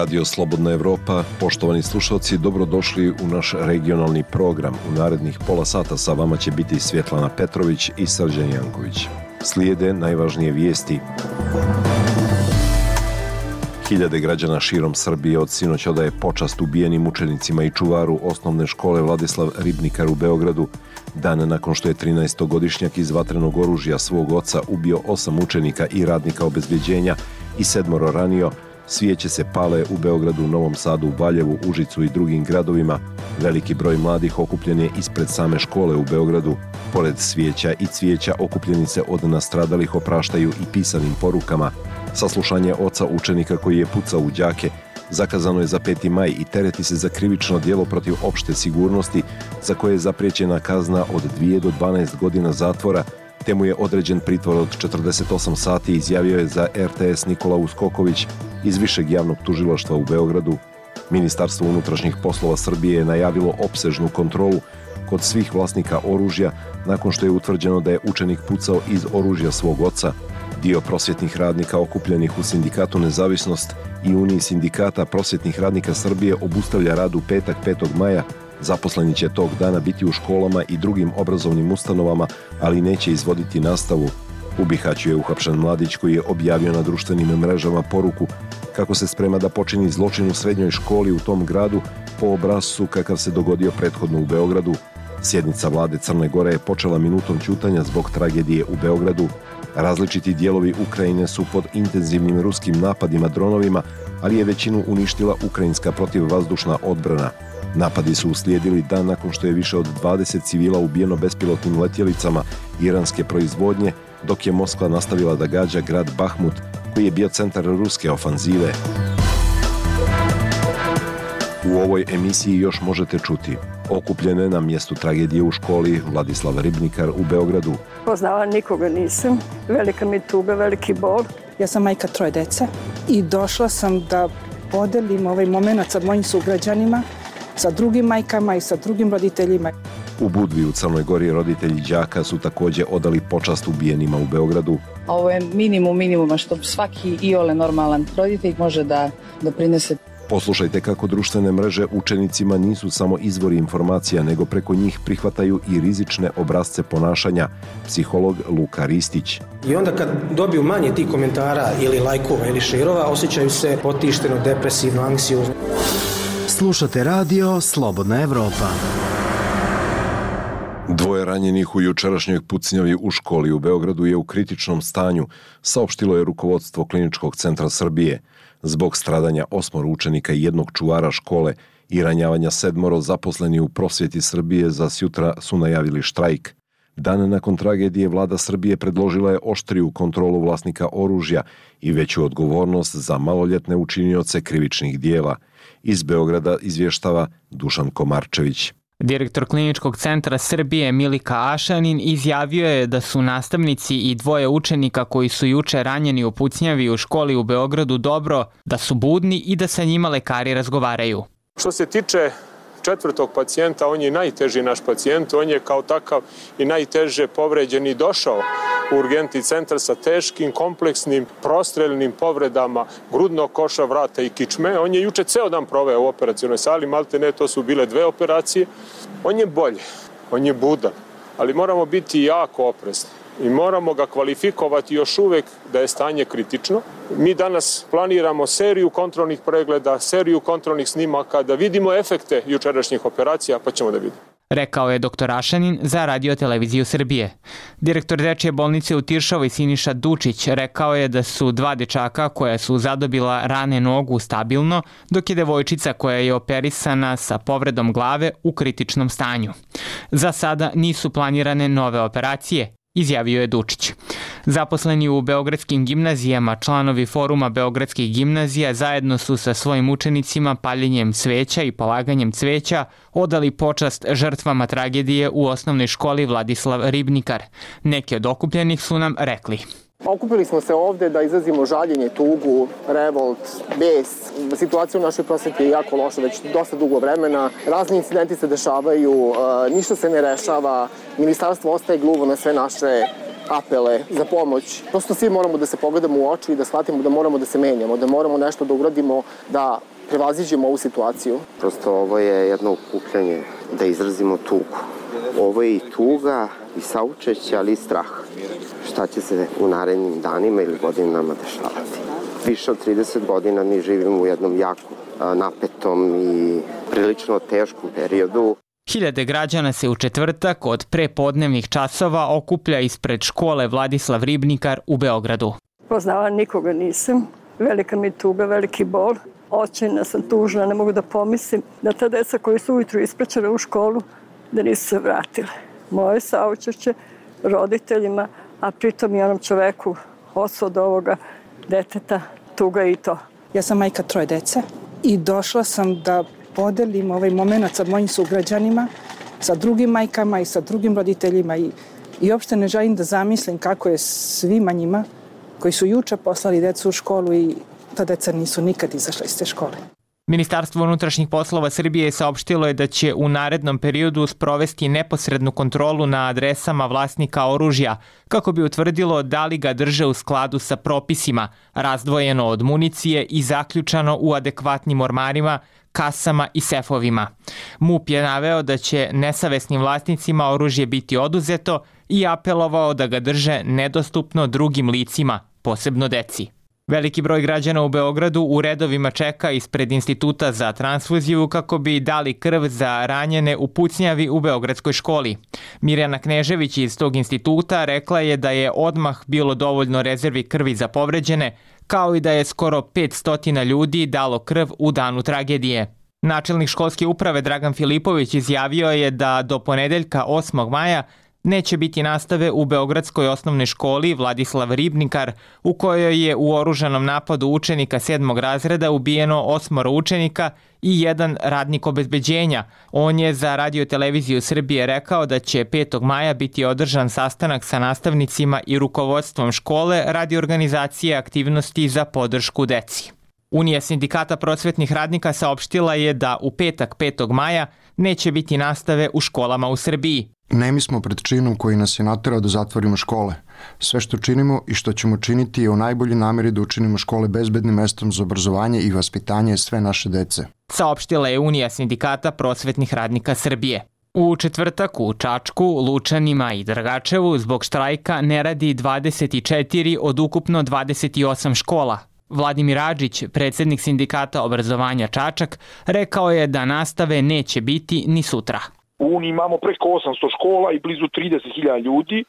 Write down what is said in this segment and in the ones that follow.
Radio Slobodna Evropa, poštovani slušalci, dobrodošli u naš regionalni program. U narednih pola sata sa vama će biti Svjetlana Petrović i Srđan Janković. Slijede najvažnije vijesti. Hiljade građana širom Srbije od sinoć odaje počast ubijenim učenicima i čuvaru osnovne škole Vladislav Ribnikar u Beogradu. Dan nakon što je 13-godišnjak iz vatrenog oružja svog oca ubio 8 učenika i radnika obezbeđenja i 7 ranio, svijeće se pale u Beogradu, Novom Sadu, Valjevu, Užicu i drugim gradovima. Veliki broj mladih okupljen je ispred same škole u Beogradu. Pored svijeća i cvijeća okupljeni se od nastradalih opraštaju i pisanim porukama. Saslušanje oca učenika koji je pucao u đake zakazano je za 5. maj i tereti se za krivično djelo protiv opšte sigurnosti za koje je zapriječena kazna od 2 do 12 godina zatvora, te mu je određen pritvor od 48 sati, izjavio je za RTS Nikola Uskoković iz Višeg javnog tužilaštva u Beogradu. Ministarstvo unutrašnjih poslova Srbije je najavilo opsežnu kontrolu kod svih vlasnika oružja nakon što je utvrđeno da je učenik pucao iz oružja svog oca. Dio prosvjetnih radnika okupljenih u sindikatu Nezavisnost i Uniji sindikata prosvjetnih radnika Srbije obustavlja rad u petak 5. maja. Zaposleni će tog dana biti u školama i drugim obrazovnim ustanovama, ali neće izvoditi nastavu. U Bihaću je uhapšen mladić koji je objavio na društvenim mrežama poruku kako se sprema da počini zločin u srednjoj školi u tom gradu po obrascu kakav se dogodio prethodno u Beogradu. Sjednica vlade Crne Gore je počela minutom ćutanja zbog tragedije u Beogradu. Različiti dijelovi Ukrajine su pod intenzivnim ruskim napadima dronovima, ali je većinu uništila ukrajinska protivvazdušna odbrana. Napadi su uslijedili dan nakon što je više od 20 civila ubijeno bespilotnim letjelicama iranske proizvodnje, dok je Moskva nastavila da gađa grad Bahmut, koji je bio centar ruske ofanzive. U ovoj emisiji još možete čuti: okupljene na mjestu tragedije u školi Vladislav Ribnikar u Beogradu. Poznala nikoga nisam, velika mi tuga, veliki bol. Ja sam majka 3 dece i došla sam da podelim ovaj moment sa mojim sugrađanima, sa drugim majkama i sa drugim roditeljima. U Budvi u Crnoj Gori roditelji đaka su također odali počast ubijenima u Beogradu. Ovo je minimuma što svaki iole normalan roditelj može da doprinese. Poslušajte kako društvene mreže učenicima nisu samo izvori informacija, nego preko njih prihvataju i rizične obrasce ponašanja. Psiholog Luka Ristić. I onda kad dobiju manje tih komentara ili lajkova ili šerova, osjećaju se potišteno, depresivno, anksiozno. Slušate radio Slobodna Evropa. 2 ranjenih u jučerašnjoj pucnjavi u školi u Beogradu je u kritičnom stanju, saopštilo je rukovodstvo Kliničkog centra Srbije. Zbog stradanja 8 učenika i 1 čuvara škole i ranjavanja 7 zaposleni u prosvjeti Srbije za sjutra su najavili štrajk. Dan nakon tragedije vlada Srbije predložila je oštriju kontrolu vlasnika oružja i veću odgovornost za maloljetne učinioce krivičnih dijela. Iz Beograda izvještava Dušan Komarčević. Direktor Kliničkog centra Srbije Milika Ašanin izjavio je da su nastavnici i 2 učenika koji su juče ranjeni u pucnjavi u školi u Beogradu dobro, da su budni i da sa njima lekari razgovaraju. Što se tiče 4. pacijenta, on je najteži naš pacijent, on je kao takav i najteže povređen i došao u urgentni centar sa teškim, kompleksnim, prostreljnim povredama grudnog koša, vrata i kičme. On je juče ceo dan proveo u operacionoj sali, maltene to su bile 2 operacije. On je bolje, on je budan, ali moramo biti jako oprezni i moramo ga kvalifikovati još uvek da je stanje kritično. Mi danas planiramo seriju kontrolnih pregleda, seriju kontrolnih snimaka, da vidimo efekte jučerašnjih operacija, pa ćemo da vidimo. Rekao je dr. Ašanin za Radio-televiziju Srbije. Direktor dečje bolnice u Tiršovoj Siniša Dučić rekao je da su 2 dečaka koja su zadobila rane nogu stabilno, dok je devojčica koja je operisana sa povredom glave u kritičnom stanju. Za sada nisu planirane nove operacije, izjavio je Dučić. Zaposleni u beogradskim gimnazijama, članovi foruma beogradskih gimnazija zajedno su sa svojim učenicima paljenjem cveća i polaganjem cveća odali počast žrtvama tragedije u osnovnoj školi Vladislav Ribnikar. Neki od okupljenih su nam rekli: Okupili smo se ovde da izrazimo žaljenje, tugu, revolt, bes. Situacija u našoj prosveti je jako loša već dosta dugo vremena. Razni incidenti se dešavaju, ništa se ne rešava. Ministarstvo ostaje gluvo na sve naše apele za pomoć. Prosto svi moramo da se pogledamo u oči i da shvatimo da moramo da se menjamo, da moramo nešto da uradimo, da prevaziđemo ovu situaciju. Prosto ovo je jedno okupljanje da izrazimo tugu. Ovo je i tuga i saučešće, ali i strah. Šta će se u narednim danima ili godinama dešavati? Više od 30 godina mi živimo u jednom jako napetom i prilično teškom periodu. Hiljade građana se u četvrtak od prepodnevnih časova okuplja ispred škole Vladislav Ribnikar u Beogradu. Poznala nikoga nisam. Velika mi tuga, veliki bol. Očajna sam, tužna, ne mogu da pomislim da ta deca koji su ujutru ispraćena u školu, da nisu se vratile. Moje saučešće roditeljima, a pritom i onom čoveku, ocu od ovoga deteta, tuga i to. Ja sam majka 3 dece i došla sam da podelim ovaj moment sa mojim sugrađanima, sa drugim majkama i sa drugim roditeljima i uopšte ne želim da zamislim kako je svima njima koji su juče poslali decu u školu i ta deca nisu nikad izašla iz te škole. Ministarstvo unutrašnjih poslova Srbije saopštilo je da će u narednom periodu sprovesti neposrednu kontrolu na adresama vlasnika oružja kako bi utvrdilo da li ga drže u skladu sa propisima, razdvojeno od municije i zaključano u adekvatnim ormarima, kasama i sefovima. MUP je naveo da će nesavesnim vlasnicima oružje biti oduzeto i apelovao da ga drže nedostupno drugim licima, posebno deci. Veliki broj građana u Beogradu u redovima čeka ispred Instituta za transfuziju kako bi dali krv za ranjene u pucnjavi u Beogradskoj školi. Mirjana Knežević iz tog instituta rekla je da je odmah bilo dovoljno rezervi krvi za povređene, kao i da je skoro 500 ljudi dalo krv u danu tragedije. Načelnik školske uprave Dragan Filipović izjavio je da do ponedeljka 8. maja neće biti nastave u Beogradskoj osnovnoj školi Vladislav Ribnikar, u kojoj je u oružanom napadu učenika 7. razreda ubijeno 8 učenika i 1 radnik obezbeđenja. On je za Radio-televiziju Srbije rekao da će 5. maja biti održan sastanak sa nastavnicima i rukovodstvom škole radi organizacije aktivnosti za podršku deci. Unija sindikata prosvetnih radnika saopštila je da u petak 5. maja neće biti nastave u školama u Srbiji. Nemi smo pred činom koji nas je naterao da zatvorimo škole. Sve što činimo i što ćemo činiti je u najboljoj nameri da učinimo škole bezbednim mestom za obrazovanje i vaspitanje sve naše dece. Saopštila je Unija sindikata prosvetnih radnika Srbije. U četvrtak u Čačku, Lučanima i Dragačevu zbog štrajka ne radi 24 od ukupno 28 škola. Vladimir Adžić, predsjednik sindikata obrazovanja Čačak, rekao je da nastave neće biti ni sutra. U Uniji imamo preko 800 škola i blizu 30.000 ljudi.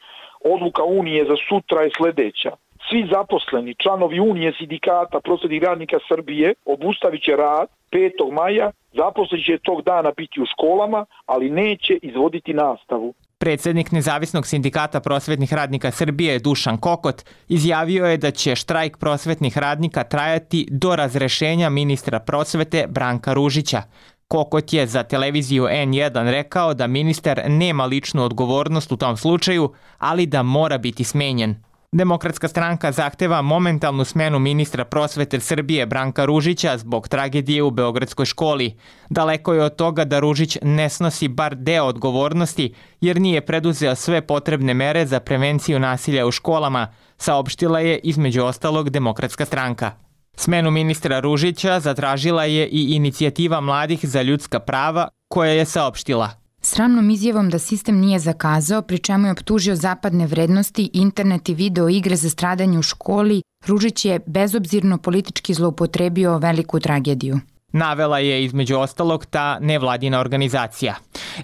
Odluka Unije za sutra je sledeća. Svi zaposleni, članovi Unije sindikata prosvetnih radnika Srbije obustavit će rad 5. maja, zaposleni će tog dana biti u školama, ali neće izvoditi nastavu. Predsjednik Nezavisnog sindikata prosvetnih radnika Srbije Dušan Kokot izjavio je da će štrajk prosvetnih radnika trajati do razrešenja ministra prosvete Branka Ružića. Kokot je za televiziju N1 rekao da ministar nema ličnu odgovornost u tom slučaju, ali da mora biti smenjen. Demokratska stranka zahteva momentalnu smenu ministra prosvete Srbije Branka Ružića zbog tragedije u Beogradskoj školi. Daleko je od toga da Ružić ne snosi bar deo odgovornosti jer nije preduzeo sve potrebne mere za prevenciju nasilja u školama, saopštila je između ostalog Demokratska stranka. Smenu ministra Ružića zatražila je i inicijativa mladih za ljudska prava koja je saopštila. Sramnom izjavom da sistem nije zakazao, pri čemu je optužio zapadne vrednosti, internet i video igre za stradanje u školi, Ružić je bezobzirno politički zloupotrebio veliku tragediju. Navela je između ostalog ta nevladina organizacija.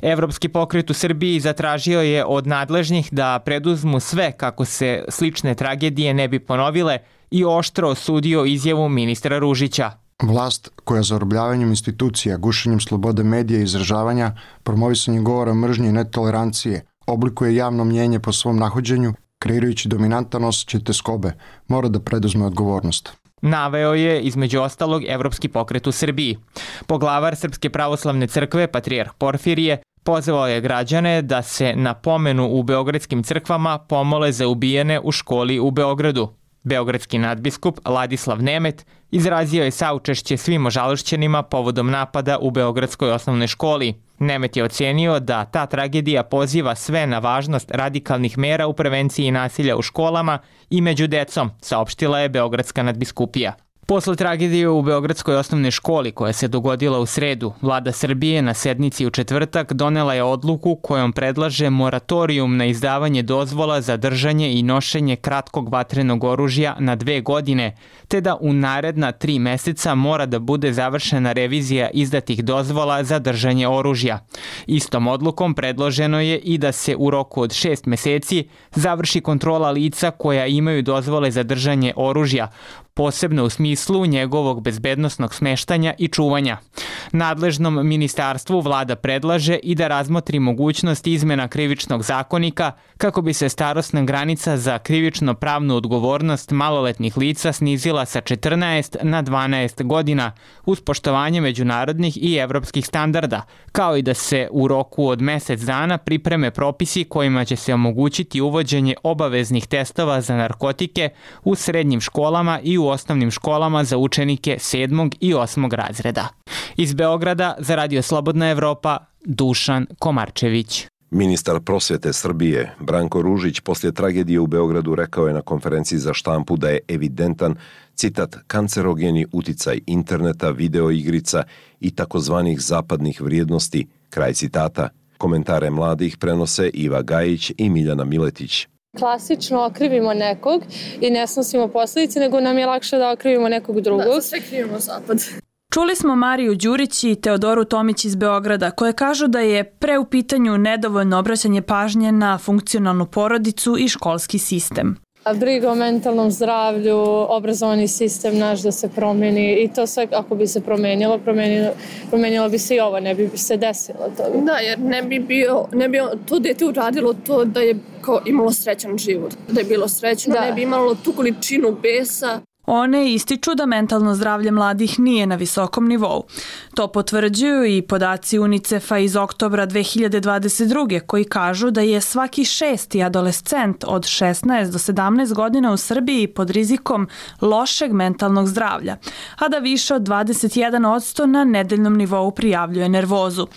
Evropski pokret u Srbiji zatražio je od nadležnih da preduzmu sve kako se slične tragedije ne bi ponovile i oštro osudio izjavu ministra Ružića. Vlast koja zarobljavanjem institucija, gušenjem slobode medija i izražavanja, promovisanjem govora mržnje i netolerancije, oblikuje javno mnjenje po svom nahođenju, kreirajući dominantan osjećaj teskobe, mora da preduzme odgovornost. Naveo je između ostalog Evropski pokret u Srbiji. Poglavar Srpske pravoslavne crkve, patrijarh Porfirije, pozvao je građane da se na pomenu u beogradskim crkvama pomole za ubijene u školi u Beogradu. Beogradski nadbiskup Ladislav Nemet izrazio je saučešće svim ožalošćenima povodom napada u Beogradskoj osnovnoj školi. Nemet je ocenio da ta tragedija poziva sve na važnost radikalnih mera u prevenciji nasilja u školama i među decom, saopštila je Beogradska nadbiskupija. Posle tragedije u Beogradskoj osnovnoj školi koja se dogodila u sredu, Vlada Srbije na sednici u četvrtak donela je odluku kojom predlaže moratorijum na izdavanje dozvola za držanje i nošenje kratkog vatrenog oružja na 2 godine, te da u naredna 3 meseca mora da bude završena revizija izdatih dozvola za držanje oružja. Istom odlukom predloženo je i da se u roku od 6 meseci završi kontrola lica koja imaju dozvole za držanje oružja, posebno u smislu njegovog bezbednosnog smeštanja i čuvanja. Nadležnom ministarstvu Vlada predlaže i da razmotri mogućnost izmena krivičnog zakonika kako bi se starosna granica za krivično pravnu odgovornost maloletnih lica snizila sa 14 na 12 godina uz poštovanje međunarodnih i evropskih standarda, kao i da se u roku od mesec dana pripreme propisi kojima će se omogućiti uvođenje obaveznih testova za narkotike u srednjim školama i u osnovnim školama za učenike 7. i 8. razreda. Iz Beograda za Radio Slobodna Evropa, Dušan Komarčević. Ministar prosvete Srbije Branko Ružić poslije tragedije u Beogradu rekao je na konferenciji za štampu da je evidentan, citat, kancerogeni uticaj interneta, videoigrica i takozvanih zapadnih vrijednosti, kraj citata. Komentare mladih prenose Iva Gajić i Miljana Miletić. Klasično okrivimo nekog i ne snosimo posljedice, nego nam je lakše da okrivimo nekog drugog. Da, sve krivimo zapad. Čuli smo Mariju Đurić i Teodoru Tomić iz Beograda, koje kažu da je pre u pitanju nedovoljno obraćanje pažnje na funkcionalnu porodicu i školski sistem. Briga o mentalnom zdravlju, obrazovani sistem naš da se promeni i to sve ako bi se promenilo bi se i ovo, ne bi se desilo to. Da, jer ne bi to dete uradilo to da je imalo srećan život. Da je bilo srećno, ne bi imalo tu količinu besa. One ističu da mentalno zdravlje mladih nije na visokom nivou. To potvrđuju i podaci UNICEF-a iz oktobra 2022. koji kažu da je svaki 6. adolescent od 16 do 17 godina u Srbiji pod rizikom lošeg mentalnog zdravlja, a da više od 21% na nedeljnom nivou prijavljuje nervozu.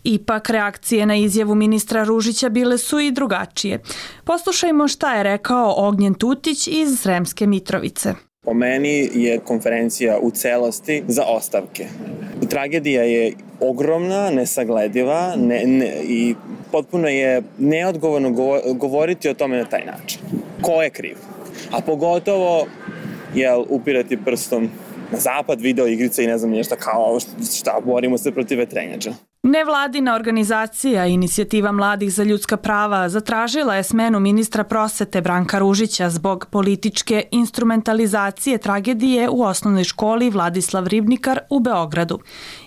Ipak, reakcije na izjavu ministra Ružića bile su i drugačije. Poslušajmo šta je rekao Ognjen Tutić iz Sremske Mitrovice. Po meni je konferencija u celosti za ostavke. Tragedija je ogromna, nesaglediva i potpuno je neodgovorno govoriti o tome na taj način. Ko je kriv? A pogotovo upirati prstom na zapad, video igrice i ne znam nešto kao šta, borimo se protiv vetrenjača. Nevladina organizacija Inicijativa mladih za ljudska prava zatražila je smenu ministra prosvete Branka Ružića zbog političke instrumentalizacije tragedije u osnovnoj školi Vladislav Ribnikar u Beogradu.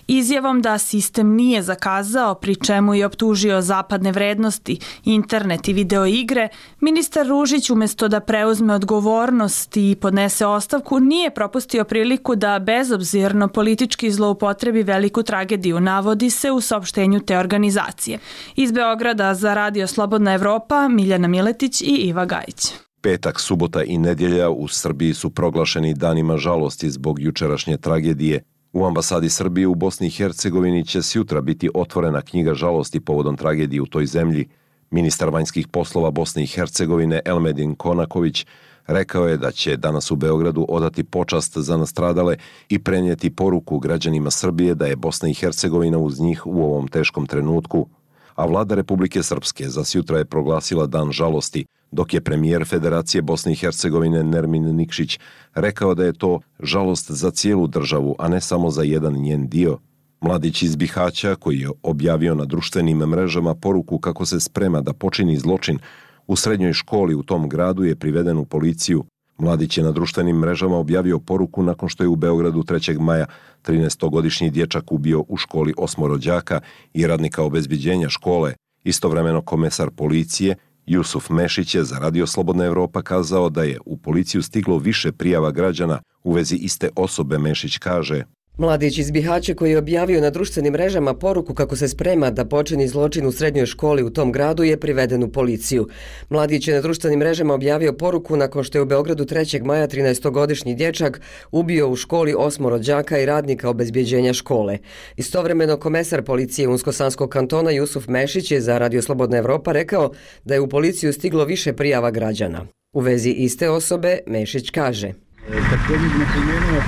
Izjavom da sistem nije zakazao, pri čemu je optužio zapadne vrednosti, internet i videoigre, ministar Ružić umjesto da preuzme odgovornost i podnese ostavku, nije propustio priliku da bezobzirno politički zloupotrebi veliku tragediju, navodi se u saopštenju te organizacije. Iz Beograda za Radio Slobodna Evropa, Miljana Miletić i Iva Gajić. Petak, subota i nedjelja u Srbiji su proglašeni danima žalosti zbog jučerašnje tragedije. U ambasadi Srbije u Bosni i Hercegovini će sjutra biti otvorena knjiga žalosti povodom tragedije u toj zemlji. Ministar vanjskih poslova Bosne i Hercegovine Elmedin Konaković rekao je da će danas u Beogradu odati počast za nastradale i prenijeti poruku građanima Srbije da je Bosna i Hercegovina uz njih u ovom teškom trenutku. A vlada Republike Srpske za sjutra je proglasila dan žalosti, dok je premijer Federacije Bosne i Hercegovine Nermin Nikšić rekao da je to žalost za cijelu državu, a ne samo za jedan njen dio. Mladić iz Bihaća, koji je objavio na društvenim mrežama poruku kako se sprema da počini zločin u srednjoj školi u tom gradu, je priveden u policiju. Mladić je na društvenim mrežama objavio poruku nakon što je u Beogradu 3. maja 13-godišnji dječak ubio u školi 8 đaka i radnika obezbeđenja škole. Istovremeno komesar policije Jusuf Mešić je za Radio Slobodna Evropa kazao da je u policiju stiglo više prijava građana u vezi iste osobe. Mešić kaže: Mladić iz Bihaća koji je objavio na društvenim mrežama poruku kako se sprema da počini zločin u srednjoj školi u tom gradu je priveden u policiju. Mladić je na društvenim mrežama objavio poruku nakon što je u Beogradu 3. maja 13-godišnji dječak ubio u školi 8 đaka i radnika obezbeđenja škole. Istovremeno komesar policije Unsko-Sanskog kantona Jusuf Mešić je za Radio Slobodna Evropa rekao da je u policiju stiglo više prijava građana. U vezi iste osobe Mešić kaže: Također bih napomenuo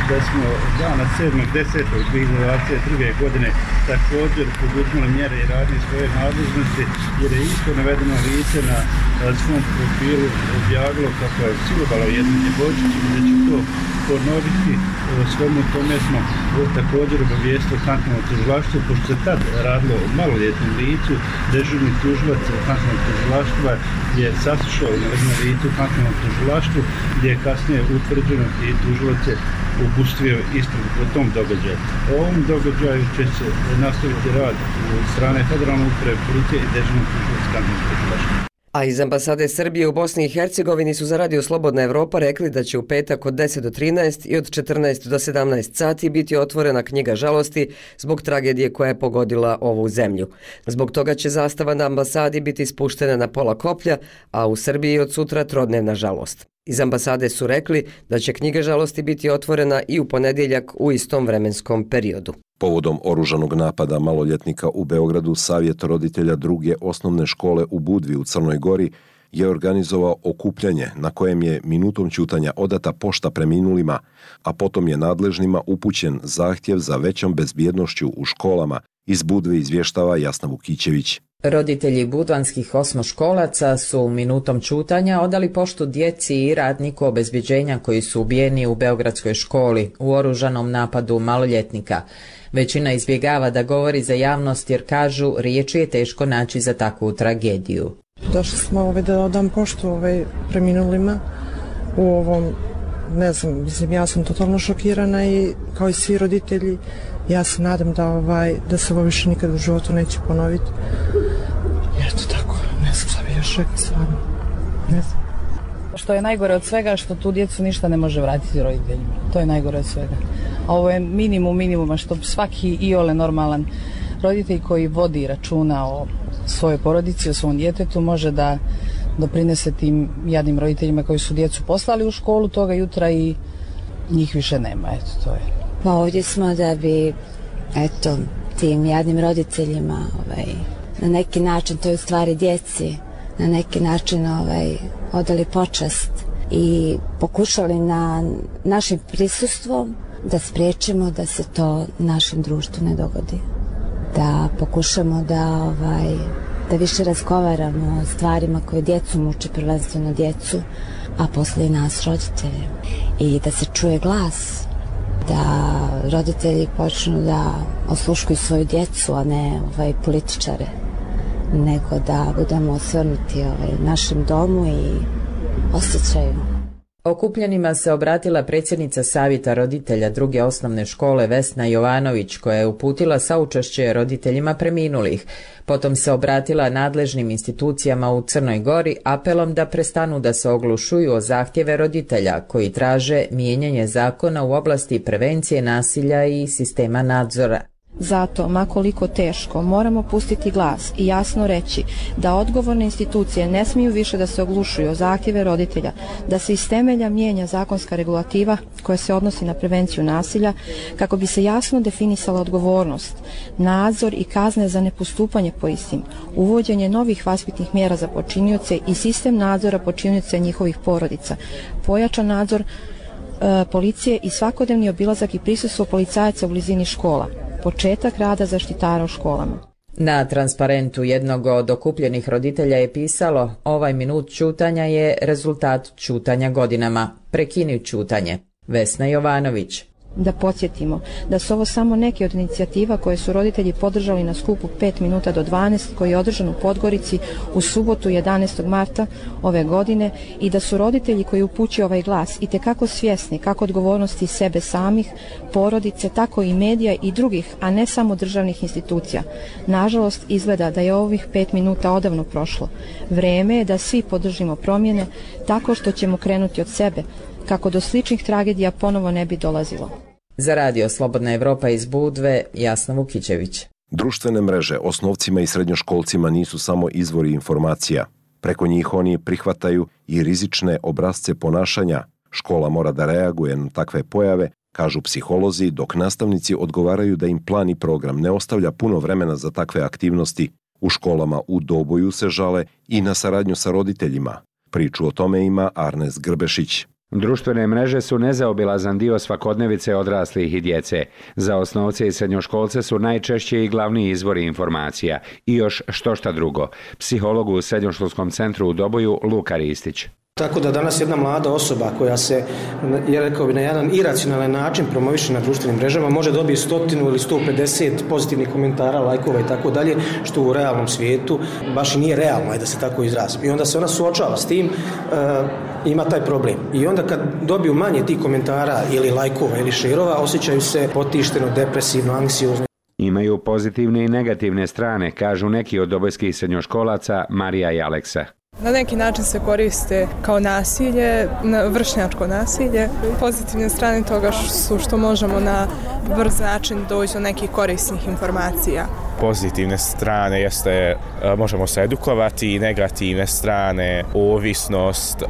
da smo dana 7.10.2022. godine također poduzmali mjere i radili svoje nadležnosti jer je isto navedeno lice na svom profilu objavilo kako je silovalo jednu djevojčicu i da će to ponoviti. Svemu tome smo također obavijestili Kantonalno tužilaštvo, pošto se tad radilo o maloljetnom licu, dežurni tužilac Kantonalnog tužilaštva je saslušao navedeno lice u Kantonalnom tužilaštvu gdje je kasnije utvrđeno i tužilac je upustio istragu po tom događaju. O ovom događaju će se nastaviti rad od strane Federalne uprave policije i dežurnog tužilaca Kantonalnog tužilaštva. A iz ambasade Srbije u Bosni i Hercegovini su za Radio Slobodna Evropa rekli da će u petak od 10 do 13 i od 14 do 17 sati biti otvorena knjiga žalosti zbog tragedije koja je pogodila ovu zemlju. Zbog toga će zastava na ambasadi biti spuštena na pola koplja, a u Srbiji od sutra trodnevna žalost. Iz ambasade su rekli da će knjiga žalosti biti otvorena i u ponedjeljak u istom vremenskom periodu. Povodom oružanog napada maloljetnika u Beogradu, Savjet roditelja druge osnovne škole u Budvi u Crnoj Gori je organizovao okupljanje na kojem je minutom ćutanja odata pošta preminulima, a potom je nadležnima upućen zahtjev za većom bezbjednošću u školama. Iz Budve izvještava Jasna Vukićević. Roditelji budvanskih osmoškolaca su minutom ćutanja odali poštu djeci i radniku obezbjeđenja koji su ubijeni u beogradskoj školi u oružanom napadu maloljetnika. Većina izbjegava da govori za javnost jer kažu riječi je teško naći za takvu tragediju. Došli smo da odam poštu preminulima u ovom, ne znam, ja sam totalno šokirana i kao i svi roditelji. Ja se nadam da se ovo više nikad u životu neće ponoviti. Eto tako, ne znam šta bi još rekla stvarno. Ne znam. Što je najgore od svega, što tu djecu ništa ne može vratiti roditeljima. To je najgore od svega. A ovo je minimum minimuma što svaki iole normalan roditelj koji vodi računa o svojoj porodici, o svom djetetu može da doprinese tim jadnim roditeljima koji su djecu poslali u školu toga jutra i njih više nema. Eto, to je. Pa ovdje smo da bi, tim jadnim roditeljima na neki način, to je u stvari djeci, na neki način odali počast i pokušali na našim prisustvom da spriječimo da se to našem društvu ne dogodi. Da pokušamo da više razgovaramo o stvarima koje djecu muče, prvenstveno djecu, a poslije i nas roditelje. I da se čuje glas, da roditelji počnu da osluškuju svoju djecu, a ne političare, nego da budemo osvrnuti našem domu i osjećaju. Okupljenima se obratila predsjednica Savjeta roditelja druge osnovne škole Vesna Jovanović, koja je uputila saučešće roditeljima preminulih. Potom se obratila nadležnim institucijama u Crnoj Gori apelom da prestanu da se oglušuju o zahtjeve roditelja koji traže mijenjanje zakona u oblasti prevencije nasilja i sistema nadzora. Zato, makoliko teško, moramo pustiti glas i jasno reći da odgovorne institucije ne smiju više da se oglušuju o zahtjeve roditelja, da se iz temelja mijenja zakonska regulativa koja se odnosi na prevenciju nasilja kako bi se jasno definisala odgovornost, nadzor i kazne za nepostupanje po istim, uvođenje novih vaspitnih mjera za počinioce i sistem nadzora počinioca i njihovih porodica, pojačan nadzor policije i svakodnevni obilazak i prisustvo policajaca u blizini škola. Početak rada zaštitara u školama. Na transparentu jednog od okupljenih roditelja je pisalo: ovaj minut ćutanja je rezultat ćutanja godinama. Prekini ćutanje. Vesna Jovanović. Da podsjetimo da su ovo samo neke od inicijativa koje su roditelji podržali na skupu 5 minuta do 12 koji je održan u Podgorici u subotu 11. marta ove godine i da su roditelji koji upućuju ovaj glas itekako svjesni kako odgovornosti sebe samih, porodice, tako i medija i drugih, a ne samo državnih institucija. Nažalost, izgleda da je ovih 5 minuta odavno prošlo. Vreme je da svi podržimo promjene tako što ćemo krenuti od sebe, kako do sličnih tragedija ponovo ne bi dolazilo. Za Radio Slobodna Evropa iz Budve, Jasna Vukićević. Društvene mreže osnovcima i srednjoškolcima nisu samo izvori informacija. Preko njih oni prihvataju i rizične obrasce ponašanja. Škola mora da reaguje na takve pojave, kažu psiholozi, dok nastavnici odgovaraju da im plan i program ne ostavlja puno vremena za takve aktivnosti. U školama u Doboju se žale i na saradnju sa roditeljima. Priču o tome ima Arnes Grbešić. Društvene mreže su nezaobilazan dio svakodnevice odraslih i djece. Za osnovce i srednjoškolce su najčešće i glavni izvori informacija. I još štošta drugo. Psiholog u Srednjoškolskom centru u Doboju Luka Ristić. Tako da danas jedna mlada osoba koja se, ja rekao bi, na jedan iracionalan način promoviše na društvenim mrežama može dobiti 100 ili 150 pozitivnih komentara, lajkova i tako dalje, što u realnom svijetu baš i nije realno, da se tako izrazim. I onda se ona suočava s tim, ima taj problem. I onda kad dobiju manje tih komentara ili lajkova ili šerova, osjećaju se potišteno, depresivno, anksiozno. Imaju pozitivne i negativne strane, kažu neki od dobojskih srednjoškolaca Marija i Aleksa. Na neki način se koriste kao nasilje, vršnjačko nasilje. Pozitivne strane toga su što možemo na brz način doći do nekih korisnih informacija. Pozitivne strane jeste možemo se edukovati i negativne strane ovisnost,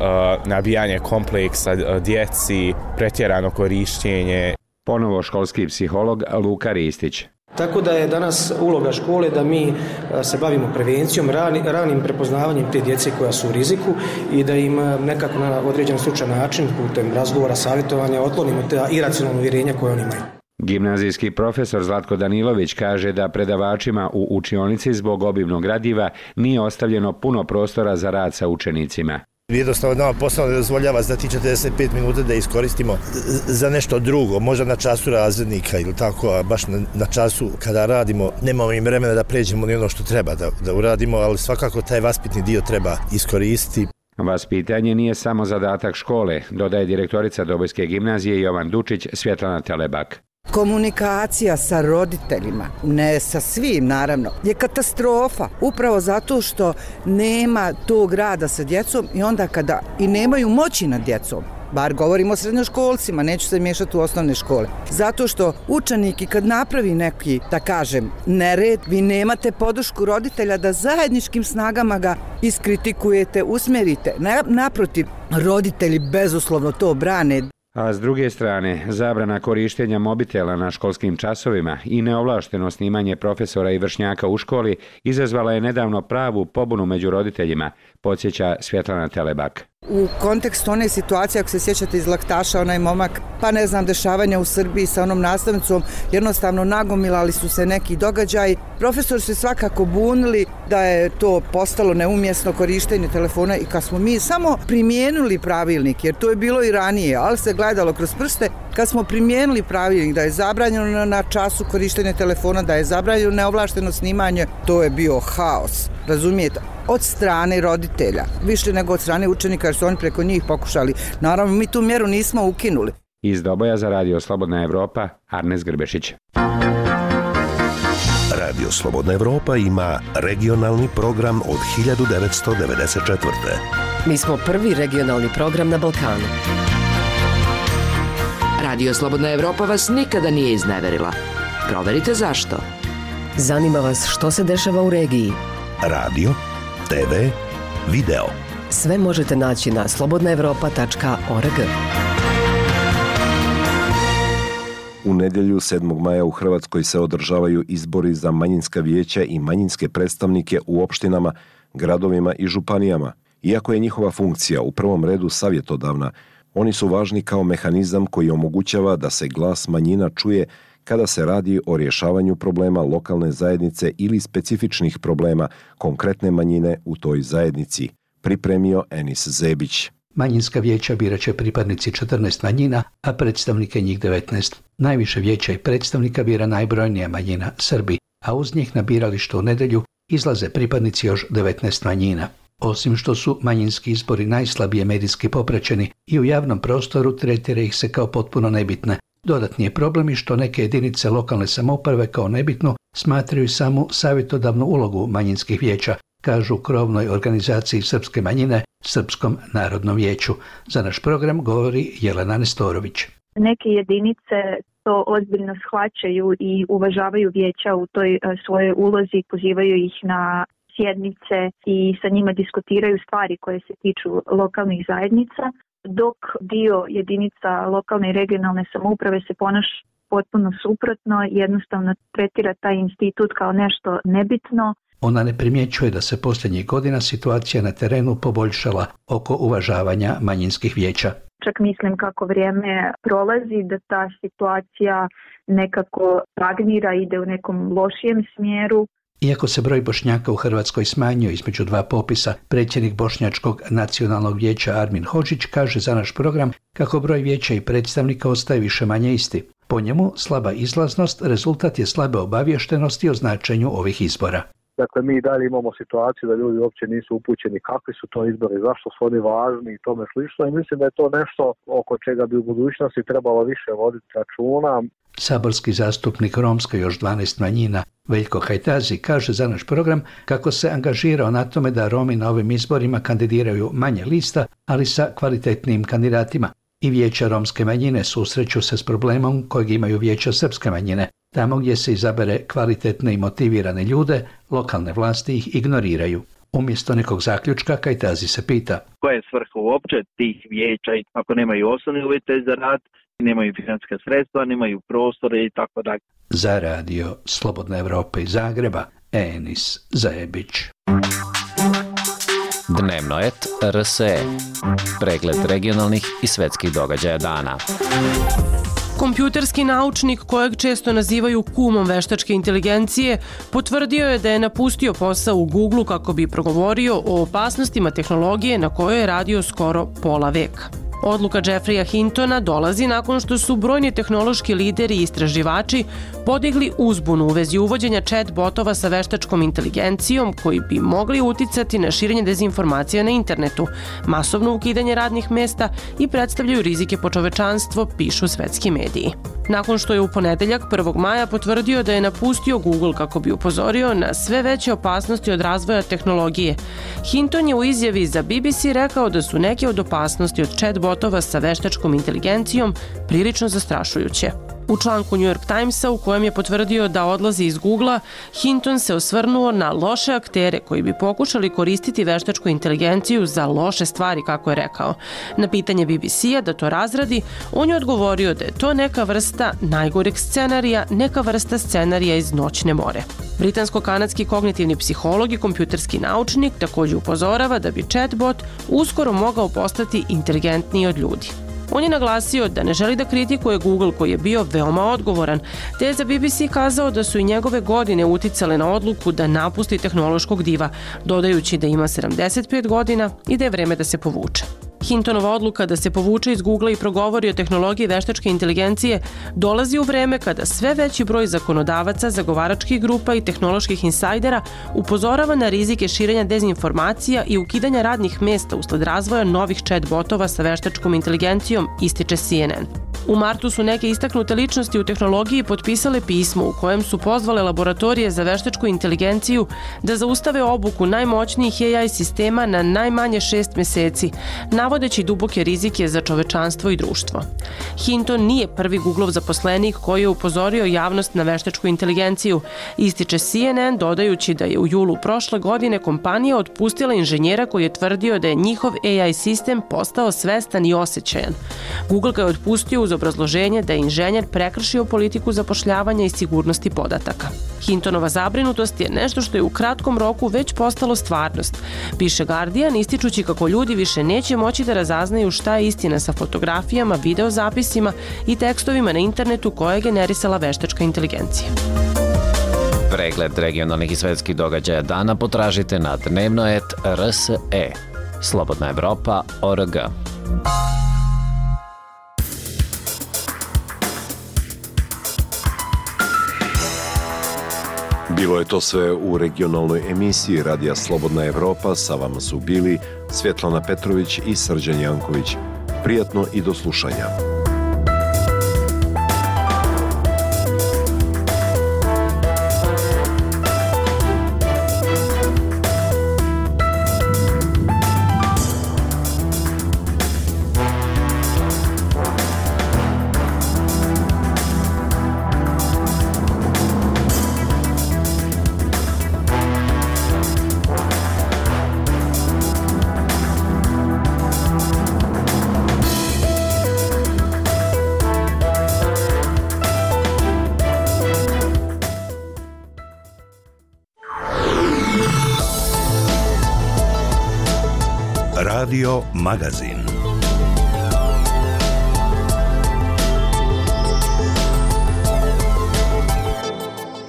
nabijanje kompleksa djeci, pretjerano korištenje. Ponovo školski psiholog Luka Ristić. Tako da je danas uloga škole da mi se bavimo prevencijom, ranim prepoznavanjem te djece koja su u riziku i da im nekako na određen slučajan način putem razgovora, savjetovanja otklonimo te iracionalne uvjerenja koje oni imaju. Gimnazijski profesor Zlatko Danilović kaže da predavačima u učionici zbog obimnog gradiva nije ostavljeno puno prostora za rad sa učenicima. Jednostavno nama posao ne dozvoljava za ti 45 minuta da iskoristimo za nešto drugo, možda na času razrednika ili tako, a baš na času kada radimo nemamo im vremena da pređemo ni ono što treba da uradimo, ali svakako taj vaspitni dio treba iskoristiti. Vaspitanje nije samo zadatak škole, dodaje direktorica Dobojske gimnazije Jovan Dučić Svjetlana Telebak. Komunikacija sa roditeljima, ne sa svim naravno, je katastrofa. Upravo zato što nema tog rada sa djecom i onda kada i nemaju moći nad djecom. Bar govorimo o srednjoškolcima, neću se miješati u osnovne škole. Zato što učenik i kad napravi neki, da kažem, nered, vi nemate podršku roditelja da zajedničkim snagama ga iskritikujete, usmjerite. Naprotiv, roditelji bezuslovno to brane. A s druge strane, zabrana korištenja mobitela na školskim časovima i neovlašteno snimanje profesora i vršnjaka u školi izazvala je nedavno pravu pobunu među roditeljima, podsjeća Svjetlana Telebak. U kontekstu one situacije, ako se sjećate iz Laktaša, onaj momak, pa ne znam, dešavanja u Srbiji sa onom nastavnicom, jednostavno nagomilali su se neki događaji. Profesori su svakako bunili da je to postalo neumjesno korištenje telefona i kad smo mi samo primijenili pravilnik, jer to je bilo i ranije, ali se gledalo kroz prste, kad smo primijenili pravilnik da je zabranjeno na času korištenje telefona, da je zabranjeno neovlašteno snimanje, to je bio haos, razumijete? Od strane roditelja, više nego od strane učenika, jer su oni preko njih pokušali. Naravno, mi tu mjeru nismo ukinuli. Iz Doboja za Radio Slobodna Evropa, Arnes Grbešić. Radio Slobodna Evropa ima regionalni program od 1994. Mi smo prvi regionalni program na Balkanu. Radio Slobodna Evropa vas nikada nije izneverila. Proverite zašto. Zanima vas što se dešava u regiji. Radio, TV, video. Sve možete naći na slobodnaevropa.org. U nedjelju 7. maja u Hrvatskoj se održavaju izbori za manjinska vijeća i manjinske predstavnike u opštinama, gradovima i županijama. Iako je njihova funkcija u prvom redu savjetodavna, oni su važni kao mehanizam koji omogućava da se glas manjina čuje kada se radi o rješavanju problema lokalne zajednice ili specifičnih problema konkretne manjine u toj zajednici, pripremio Enis Zebić. Manjinska vijeća birat će pripadnici 14 manjina, a predstavnike njih 19. Najviše vijeća i predstavnika bira najbrojnija manjina, Srbi, a uz njih na biralištu u nedjelju izlaze pripadnici još 19 manjina. Osim što su manjinski izbori najslabije medijski popraćeni i u javnom prostoru tretira ih se kao potpuno nebitne. Dodatni je problem i što neke jedinice lokalne samouprave kao nebitnu smatraju samu savjetodavnu ulogu manjinskih vijeća, kažu u krovnoj organizaciji srpske manjine, Srpskom narodnom vijeću. Za naš program govori Jelena Nestorović. Neke jedinice to ozbiljno shvaćaju i uvažavaju vijeća u toj svojoj ulozi, pozivaju ih na sjednice i sa njima diskutiraju stvari koje se tiču lokalnih zajednica, dok dio jedinica lokalne i regionalne samouprave se ponaša potpuno suprotno, jednostavno tretira taj institut kao nešto nebitno. Ona ne primjećuje da se posljednjih godina situacija na terenu poboljšala oko uvažavanja manjinskih vijeća. čak mislim kako vrijeme prolazi da ta situacija nekako stagnira, ide u nekom lošijem smjeru. Iako se broj Bošnjaka u Hrvatskoj smanjio između dva popisa, predsjednik Bošnjačkog nacionalnog vijeća Armin Hodžić kaže za naš program kako broj vijeća i predstavnika ostaje više-manje isti. Po njemu, slaba izlaznost rezultat je slabe obaviještenosti o značenju ovih izbora. Dakle, mi dalje imamo situaciju da ljudi uopće nisu upućeni kakvi su to izbori, zašto su oni važni i tome slično. I mislim da je to nešto oko čega bi u budućnosti trebalo više voditi računa. Saborski zastupnik romske još 12 manjina Veljko Hajtazi kaže za naš program kako se angažirao na tome da Romi na ovim izborima kandidiraju manje lista, ali sa kvalitetnim kandidatima. I vijeća romske manjine susreću se s problemom kojeg imaju vijeća srpske manjine. Tamo gdje se izabere kvalitetne i motivirane ljude, lokalne vlasti ih ignoriraju. Umjesto nekog zaključka, Kajtazi se pita: koja je svrha uopće tih vijeća ako nemaju osnovne uvjete za rad, nemaju financijska sredstva, nemaju prostore i tako dalje. Za radio Slobodna Evropa iz Zagreba, Enis Zajebić. Dnevno et RSE. Pregled regionalnih i svetskih događaja dana. Kompjuterski naučnik, kojeg često nazivaju kumom veštačke inteligencije, potvrdio je da je napustio posao u Google kako bi progovorio o opasnostima tehnologije na kojoj je radio skoro pola veka. Odluka Jeffreya Hintona dolazi nakon što su brojni tehnološki lideri i istraživači podigli uzbunu u vezi uvođenja chat botova sa veštačkom inteligencijom koji bi mogli uticati na širenje dezinformacija na internetu, masovno ukidanje radnih mesta i predstavljaju rizike po čovečanstvo, pišu svetski mediji. Nakon što je u ponedeljak 1. maja potvrdio da je napustio Google kako bi upozorio na sve veće opasnosti od razvoja tehnologije, Hinton je u izjavi za BBC rekao da su neke od opasnosti od chat botova sa veštačkom inteligencijom prilično zastrašujuće. U članku New York Timesa u kojem je potvrdio da odlazi iz Googlea, Hinton se osvrnuo na loše aktere koji bi pokušali koristiti veštačku inteligenciju za loše stvari, kako je rekao. Na pitanje BBC-a da to razradi, on je odgovorio da je to neka vrsta najgoreg scenarija, neka vrsta scenarija iz Noćne more. Britansko-kanadski kognitivni psiholog i kompjuterski naučnik također upozorava da bi chatbot uskoro mogao postati inteligentniji od ljudi. On je naglasio da ne želi da kritikuje Google koji je bio veoma odgovoran, te je za BBC kazao da su i njegove godine uticale na odluku da napusti tehnološkog diva, dodajući da ima 75 godina i da je vreme da se povuče. Hintonova odluka da se povuče iz Googlea i progovori o tehnologiji veštačke inteligencije dolazi u vreme kada sve veći broj zakonodavaca, zagovaračkih grupa i tehnoloških insajdera upozorava na rizike širenja dezinformacija i ukidanja radnih mesta usled razvoja novih chat botova sa veštačkom inteligencijom, ističe CNN. U martu su neke istaknute ličnosti u tehnologiji potpisale pismo u kojem su pozvale laboratorije za veštačku inteligenciju da zaustave obuku najmoćnijih AI sistema na najmanje 6 meseci, navodeći duboke rizike za čovečanstvo i društvo. Hinton nije prvi Googlov zaposlenik koji je upozorio javnost na veštačku inteligenciju, ističe CNN, dodajući da je u julu prošle godine kompanija otpustila inženjera koji je tvrdio da je njihov AI sistem postao svestan i osjećajan. Google ga je otpustio uz obrazloženje da je inženjer prekršio politiku zapošljavanja i sigurnosti podataka. Hintonova zabrinutost je nešto što je u kratkom roku već postalo stvarnost, piše Guardian, ističući kako ljudi više neće moći da razaznaju šta je istina sa fotografijama, videozapisima i tekstovima na internetu koje je generisala veštačka inteligencija. Pregled regionalnih i svetskih događaja dana potražite na dnevnoet.rse. Slobodna Evropa.org. Bilo je to sve u regionalnoj emisiji Radija Slobodna Evropa. Sa vama su bili Svjetlana Petrović i Srđan Janković. Prijatno i do slušanja. Radio Magazin.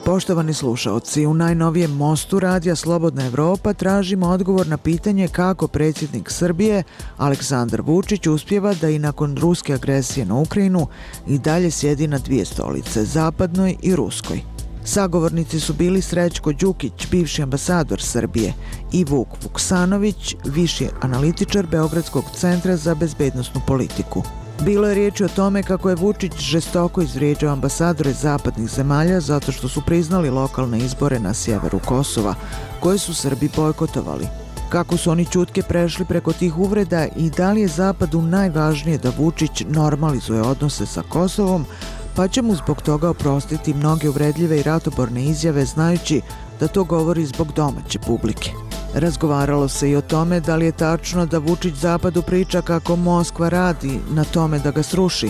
Poštovani slušaoci, u najnovijem mostu radija Slobodna Evropa tražimo odgovor na pitanje kako predsjednik Srbije Aleksandar Vučić uspijeva da i nakon ruske agresije na Ukrajinu i dalje sjedi na dvije stolice, zapadnoj i ruskoj. Sagovornici su bili Srećko Đukić, bivši ambasador Srbije, i Vuk Vuksanović, viši analitičar Beogradskog centra za bezbednosnu politiku. Bilo je riječi o tome kako je Vučić žestoko izvrijeđao ambasadore zapadnih zemalja zato što su priznali lokalne izbore na sjeveru Kosova, koje su Srbi bojkotovali. Kako su oni ćutke prešli preko tih uvreda i da li je Zapadu najvažnije da Vučić normalizuje odnose sa Kosovom, pa će mu zbog toga oprostiti mnoge uvredljive i ratoborne izjave znajući da to govori zbog domaće publike. Razgovaralo se i o tome da li je tačno da Vučić Zapadu priča kako Moskva radi na tome da ga sruši,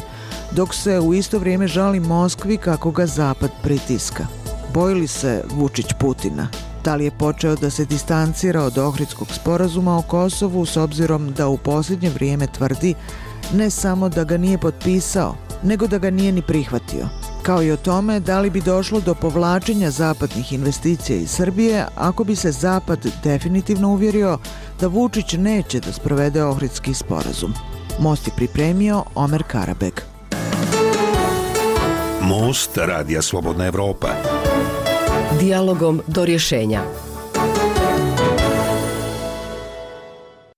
dok se u isto vrijeme žali Moskvi kako ga Zapad pritiska. Boji li se Vučić Putina? Da li je počeo da se distancira od Ohridskog sporazuma o Kosovu s obzirom da u posljednje vrijeme tvrdi ne samo da ga nije potpisao, nego da ga nije ni prihvatio? Kao i o tome da li bi došlo do povlačenja zapadnih investicija iz Srbije ako bi se Zapad definitivno uvjerio da Vučić neće da sprovede Ohridski sporazum. Most je pripremio Omer Karabeg. Most radija Slobodna Evropa. Dijalogom do rješenja.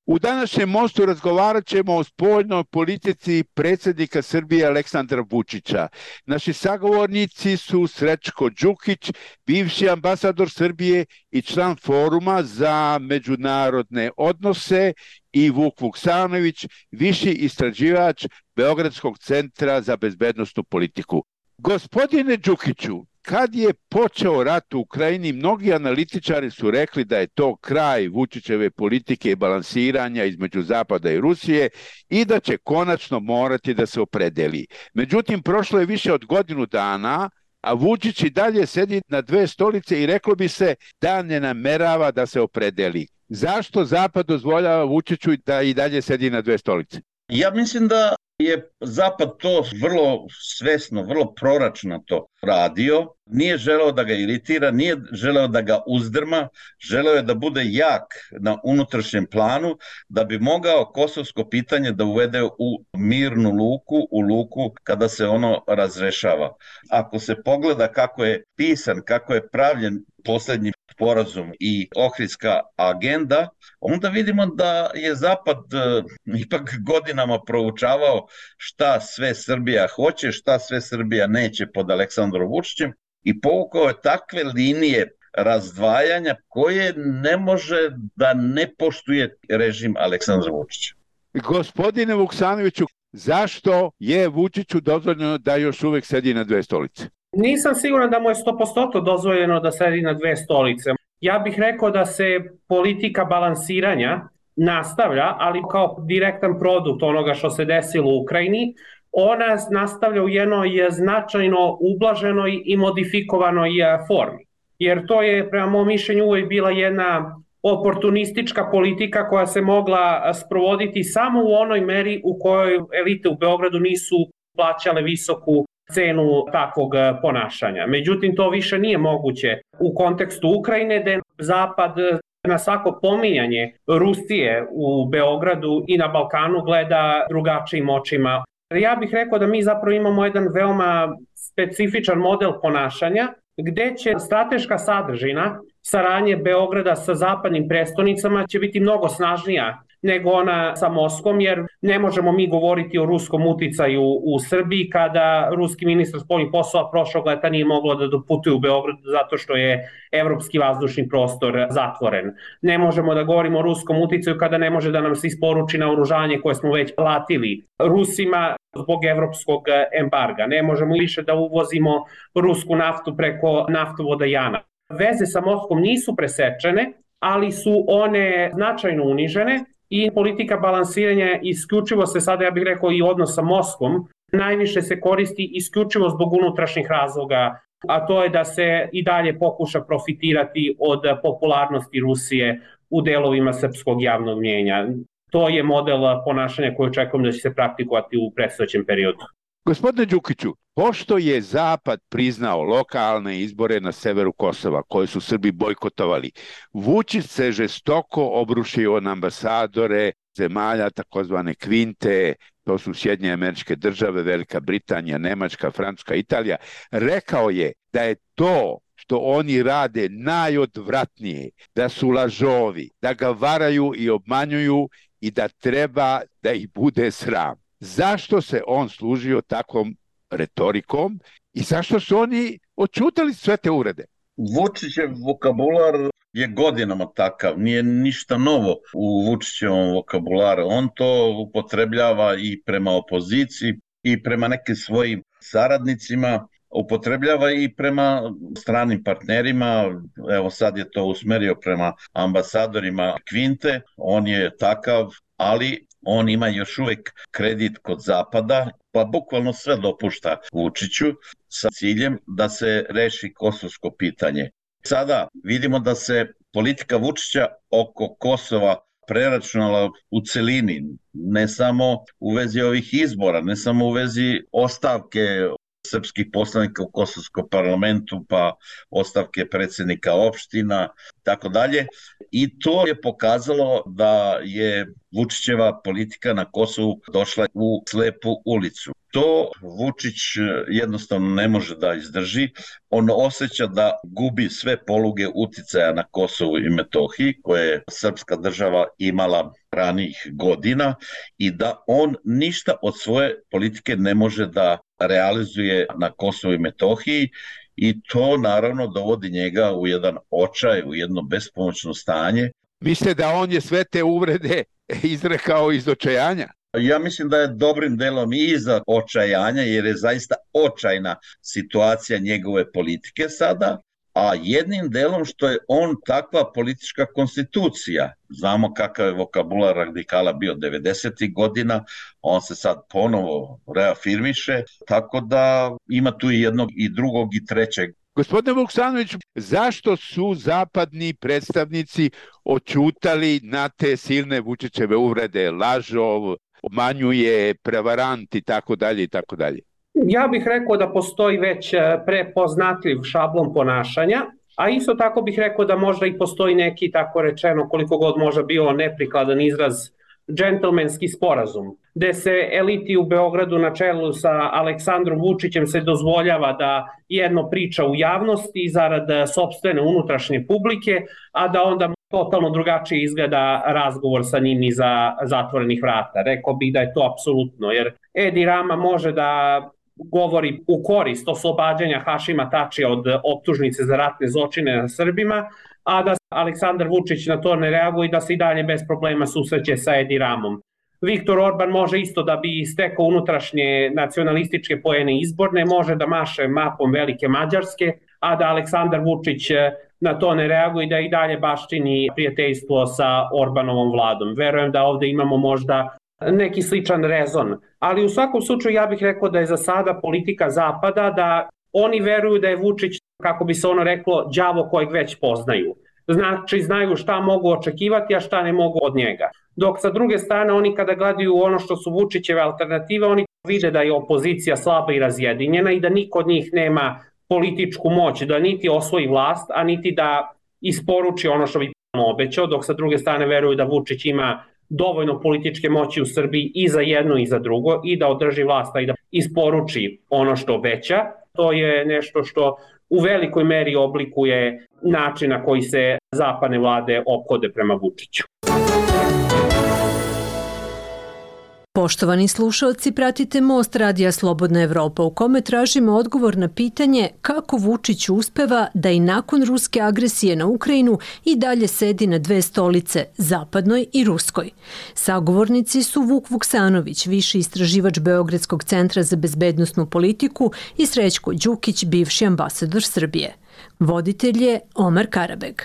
U današnjem mostu razgovarat ćemo o spoljnoj politici predsjednika Srbije Aleksandra Vučića. Naši sagovornici su Srećko Đukić, bivši ambasador Srbije i član Foruma za međunarodne odnose, i Vuk Vuksanović, viši istraživač Beogradskog centra za bezbednosnu politiku. Gospodine Đukiću, kad je počeo rat u Ukrajini, mnogi analitičari su rekli da je to kraj Vučićeve politike i balansiranja između Zapada i Rusije i da će konačno morati da se opredeli. Međutim, prošlo je više od godinu dana, a Vučić i dalje sedi na dve stolice i reklo bi se da ne namerava da se opredeli. Zašto Zapad dozvoljava Vučiću da i dalje sedi na dve stolice? Ja mislim da je Zapad to vrlo svesno, vrlo proračno to radio. Nije želeo da ga iritira, nije želeo da ga uzdrma, želeo je da bude jak na unutrašnjem planu, da bi mogao kosovsko pitanje da uvede u mirnu luku, u luku kada se ono razrešava. Ako se pogleda kako je pisan, kako je pravljen posljednji sporazum i Ohridska agenda, onda vidimo da je Zapad ipak godinama proučavao šta sve Srbija hoće, šta sve Srbija neće pod Aleksandrom Vučićem i povukao je takve linije razdvajanja koje ne može da ne poštuje režim Aleksandra Vučića. Gospodine Vuksanoviću, zašto je Vučiću dozvoljeno da još uvijek sedi na dve stolice? Nisam siguran da mu je 100% dozvoljeno da sedi na dve stolice. Ja bih rekao da se politika balansiranja nastavlja, ali kao direktan produkt onoga što se desilo u Ukrajini, ona nastavlja u jednoj značajno ublaženoj i modifikovanoj formi. Jer to je, prema mom mišljenju, uvijek bila jedna oportunistička politika koja se mogla sprovoditi samo u onoj meri u kojoj elite u Beogradu nisu plaćale visoku cenu takvog ponašanja. Međutim, to više nije moguće u kontekstu Ukrajine, gde Zapad na svako pominjanje Rusije u Beogradu i na Balkanu gleda drugačijim očima. Ja bih rekao da mi zapravo imamo jedan veoma specifičan model ponašanja, gde će strateška sadržina saradnje Beograda sa zapadnim prestonicama će biti mnogo snažnija nego ona sa Moskvom, jer ne možemo mi govoriti o ruskom uticaju u Srbiji kada ruski ministar spoljnih poslova prošlog leta nije moglo da doputuje u Beograd zato što je evropski vazdušni prostor zatvoren. Ne možemo da govorimo o ruskom uticaju kada ne može da nam se isporuči naoružanje koje smo već platili Rusima zbog evropskog embarga. Ne možemo više da uvozimo rusku naftu preko naftovoda Jana. Veze sa Moskvom nisu presečene, ali su one značajno unižene i politika balansiranja isključivo se sada, ja bih rekao, i odnos sa Moskvom najviše se koristi isključivo zbog unutrašnjih razloga, a to je da se i dalje pokuša profitirati od popularnosti Rusije u delovima srpskog javnog mnijenja. To je model ponašanja koji očekujem da će se praktikovati u predstojećem periodu. Gospodine Đukiću, pošto je Zapad priznao lokalne izbore na severu Kosova, koje su Srbi bojkotovali, Vučić se žestoko obrušio na ambasadore zemalja takozvane kvinte, to su Sjedinjene Američke Države, Velika Britanija, Nemačka, Francuska, Italija. Rekao je da je to što oni rade najodvratnije, da su lažovi, da ga varaju i obmanjuju i da treba da ih bude sram. Zašto se on služio takvom retorikom i zašto su oni odćutali sve te uvrede? Vučićev vokabular je godinama takav, nije ništa novo u Vučićevom vokabularu. On to upotrebljava i prema opoziciji i prema nekim svojim saradnicima, upotrebljava i prema stranim partnerima. Evo sad je to usmerio prema ambasadorima Kvinte, on je takav, ali on ima još uvek kredit kod Zapada, pa bukvalno sve dopušta Vučiću sa ciljem da se reši kosovsko pitanje. Sada vidimo da se politika Vučića oko Kosova preračunala u celini, ne samo u vezi ovih izbora, ne samo u vezi ostavke srpskih poslanika u Kosovskom parlamentu, pa ostavke predsjednika opština, tako dalje. I to je pokazalo da je Vučićeva politika na Kosovu došla u slepu ulicu. To Vučić jednostavno ne može da izdrži. On osjeća da gubi sve poluge uticaja na Kosovu i Metohiji, koje je srpska država imala ranijih godina, i da on ništa od svoje politike ne može da realizuje na Kosovu i Metohiji, i to naravno dovodi njega u jedan očaj, u jedno bespomoćno stanje. Mislite da on je sve te uvrede izrekao iz očajanja? Ja mislim da je dobrim delom i iza očajanja, jer je zaista očajna situacija njegove politike sada, a jednim delom što je on takva politička konstitucija. Znamo kakav je vokabular radikala bio 90. godina, on se sad ponovo reafirmiše, tako da ima tu i jednog i drugog i trećeg. Gospodine Vuksanović, zašto su zapadni predstavnici odćutali na te silne Vučićeve uvrede, lažov, obmanjuje, prevarant i tako dalje i tako dalje? Ja bih rekao da postoji već prepoznatljiv šablon ponašanja, a isto tako bih rekao da možda i postoji neki, tako rečeno, koliko god možda bio neprikladan izraz, džentlmenski sporazum, gde se eliti u Beogradu na čelu sa Aleksandrom Vučićem se dozvoljava da jedno priča u javnosti zarad sopstvene unutrašnje publike, a da onda totalno drugačije izgleda razgovor sa njim iza zatvorenih vrata. Rekao bih da je to apsolutno, jer Edi Rama može da govori u korist oslobađanja Hašima Tačija od optužnice za ratne zločine na Srbima, a da Aleksandar Vučić na to ne reaguje i da se i dalje bez problema susreće sa Edi Ramom. Viktor Orban može isto da bi stekao unutrašnje nacionalističke poene izborne, može da maše mapom Velike Mađarske, a da Aleksandar Vučić na to ne reaguje i da i dalje baštini prijateljstvo sa Orbanovom vladom. Verujem da ovde imamo možda neki sličan rezon. Ali u svakom slučaju ja bih rekao da je za sada politika Zapada da oni veruju da je Vučić, kako bi se ono reklo, đavo kojeg već poznaju. Znači znaju šta mogu očekivati, a šta ne mogu od njega. Dok sa druge strane oni kada gledaju ono što su Vučićeve alternative, oni vide da je opozicija slaba i razjedinjena i da niko od njih nema političku moć, da niti osvoji vlast, a niti da isporuči ono što bi obećao, dok sa druge strane veruju da Vučić ima dovoljno političke moći u Srbiji i za jedno i za drugo i da održi vlast i da isporuči ono što obeća. To je nešto što u velikoj meri oblikuje način na koji se zapadne vlade ophode prema Vučiću. Poštovani slušalci, pratite Most Radija Slobodna Evropa u kome tražimo odgovor na pitanje kako Vučić uspeva da i nakon ruske agresije na Ukrajinu i dalje sedi na dve stolice, zapadnoj i ruskoj. Sagovornici su Vuk Vuksanović, viši istraživač Beogradskog centra za bezbednosnu politiku, i Srećko Đukić, bivši ambasador Srbije. Voditelj je Omar Karabeg.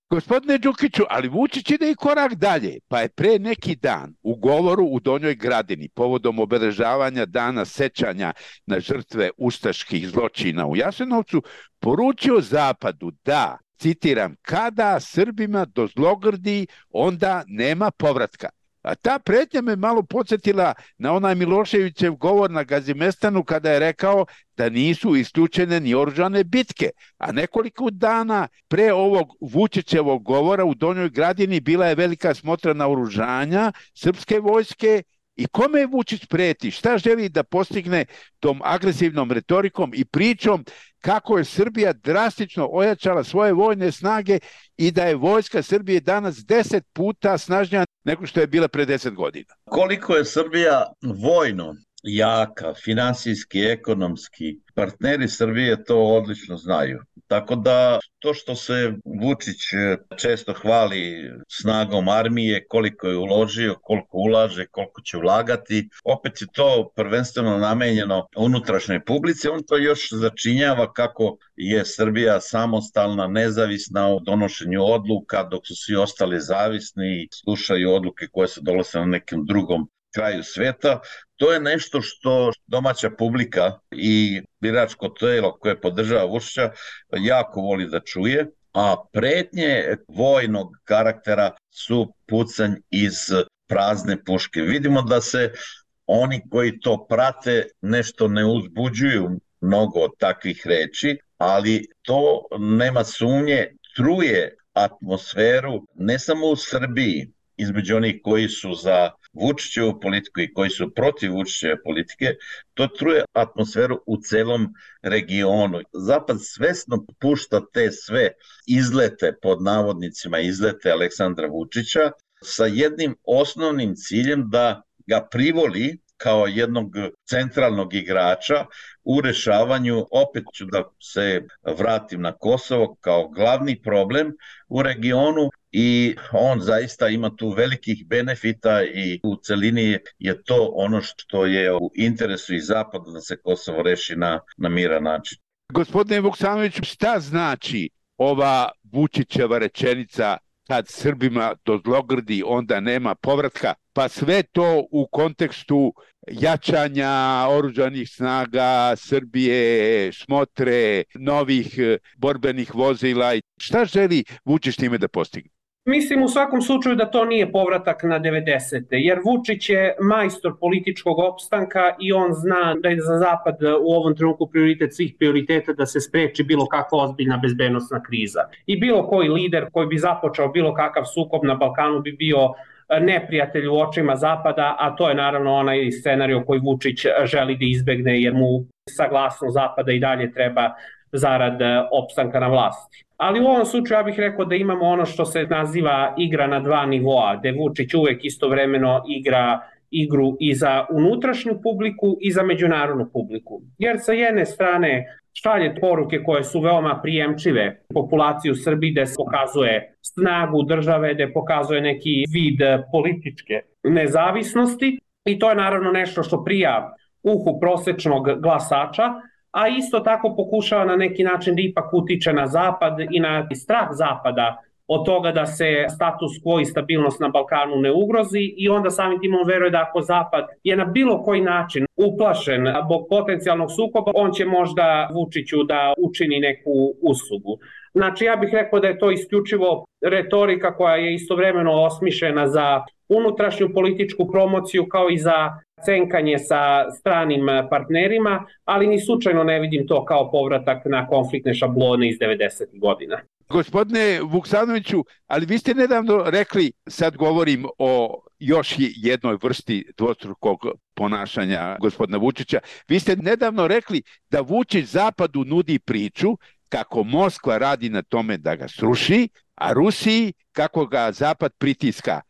Gospodine Đukiću, ali Vučić ide i korak dalje, pa je pre neki dan u govoru u Donjoj Gradini povodom obeležavanja dana sećanja na žrtve ustaških zločina u Jasenovcu poručio Zapadu da, citiram, kada Srbima dozlogrdi, onda nema povratka. A ta pretnja me malo podsjetila na onaj Miloševićev govor na Gazimestanu kada je rekao da nisu isključene ni oružane bitke. A nekoliko dana pre ovog Vučićevog govora u Donjoj Gradini bila je velika smotra naoružanja srpske vojske. I kome Vučić preti? Šta želi da postigne tom agresivnom retorikom i pričom kako je Srbija drastično ojačala svoje vojne snage i da je vojska Srbije danas 10 puta snažnija nego što je bila pre 10 godina? Koliko je Srbija vojno jaka, finansijski, ekonomski, partneri Srbije to odlično znaju. Tako da to što se Vučić često hvali snagom armije, koliko je uložio, koliko ulaže, koliko će ulagati, opet je to prvenstveno namenjeno unutrašnjoj publici. On to još začinjava kako je Srbija samostalna, nezavisna u donošenju odluka, dok su svi ostali zavisni i slušaju odluke koje se donose na nekom drugom kraju sveta. To je nešto što domaća publika i biračko telo koje podržava Vučića jako voli da čuje, a pretnje vojnog karaktera su pucanj iz prazne puške. Vidimo da se oni koji to prate nešto ne uzbuđuju mnogo od takvih reči, ali to nema sumnje, truje atmosferu ne samo u Srbiji, između onih koji su za Vučićevu politiku i koji su protiv Vučićeve politike, to truje atmosferu u celom regionu. Zapad svesno pušta te sve izlete, pod navodnicima izlete Aleksandra Vučića, sa jednim osnovnim ciljem da ga privoli kao jednog centralnog igrača u rešavanju, opet ću da se vratim na Kosovo, kao glavni problem u regionu, i on zaista ima tu velikih benefita i u celini je to ono što je u interesu i Zapada da se Kosovo reši na miran način. Gospodine Vuksanoviću, šta znači ova Vučićeva rečenica kad Srbima dozlogrdi onda nema povratka, pa sve to u kontekstu jačanja oružanih snaga Srbije, smotre, novih borbenih vozila? Šta želi Vučić time da postigne? Mislim u svakom slučaju da to nije povratak na 90. jer Vučić je majstor političkog opstanka i on zna da je za Zapad u ovom trenutku prioritet svih prioriteta da se spreči bilo kakva ozbiljna bezbednosna kriza. I bilo koji lider koji bi započeo bilo kakav sukob na Balkanu bi bio neprijatelj u očima Zapada, a to je naravno onaj scenario koji Vučić želi da izbegne jer mu saglasnost Zapada i dalje treba zarad opstanka na vlasti. Ali u ovom slučaju ja bih rekao da imamo ono što se naziva igra na dva nivoa, gde Vučić uvek istovremeno igra igru i za unutrašnju publiku i za međunarodnu publiku. Jer sa jedne strane šalje poruke koje su veoma prijemčive populaciji u Srbiji, gde se pokazuje snagu države, gde pokazuje neki vid političke nezavisnosti i to je naravno nešto što prija uhu prosečnog glasača, a isto tako pokušava na neki način da ipak utiče na Zapad i na strah Zapada od toga da se status quo i stabilnost na Balkanu ne ugrozi i onda samim tim on veruje da ako Zapad je na bilo koji način uplašen zbog potencijalnog sukoba, on će možda Vučiću da učini neku uslugu. Znači ja bih rekao da je to isključivo retorika koja je istovremeno osmišljena za unutrašnju političku promociju kao i za cenkanje sa stranim partnerima, ali ni slučajno ne vidim to kao povratak na konfliktne šablone iz 90. godina. Gospodine Vuksanoviću, ali vi ste nedavno rekli, sad govorim o još jednoj vrsti dvostrukog ponašanja gospodina Vučića, vi ste nedavno rekli da Vučić Zapadu nudi priču kako Moskva radi na tome da ga sruši, a Rusiji kako ga Zapad pritiska.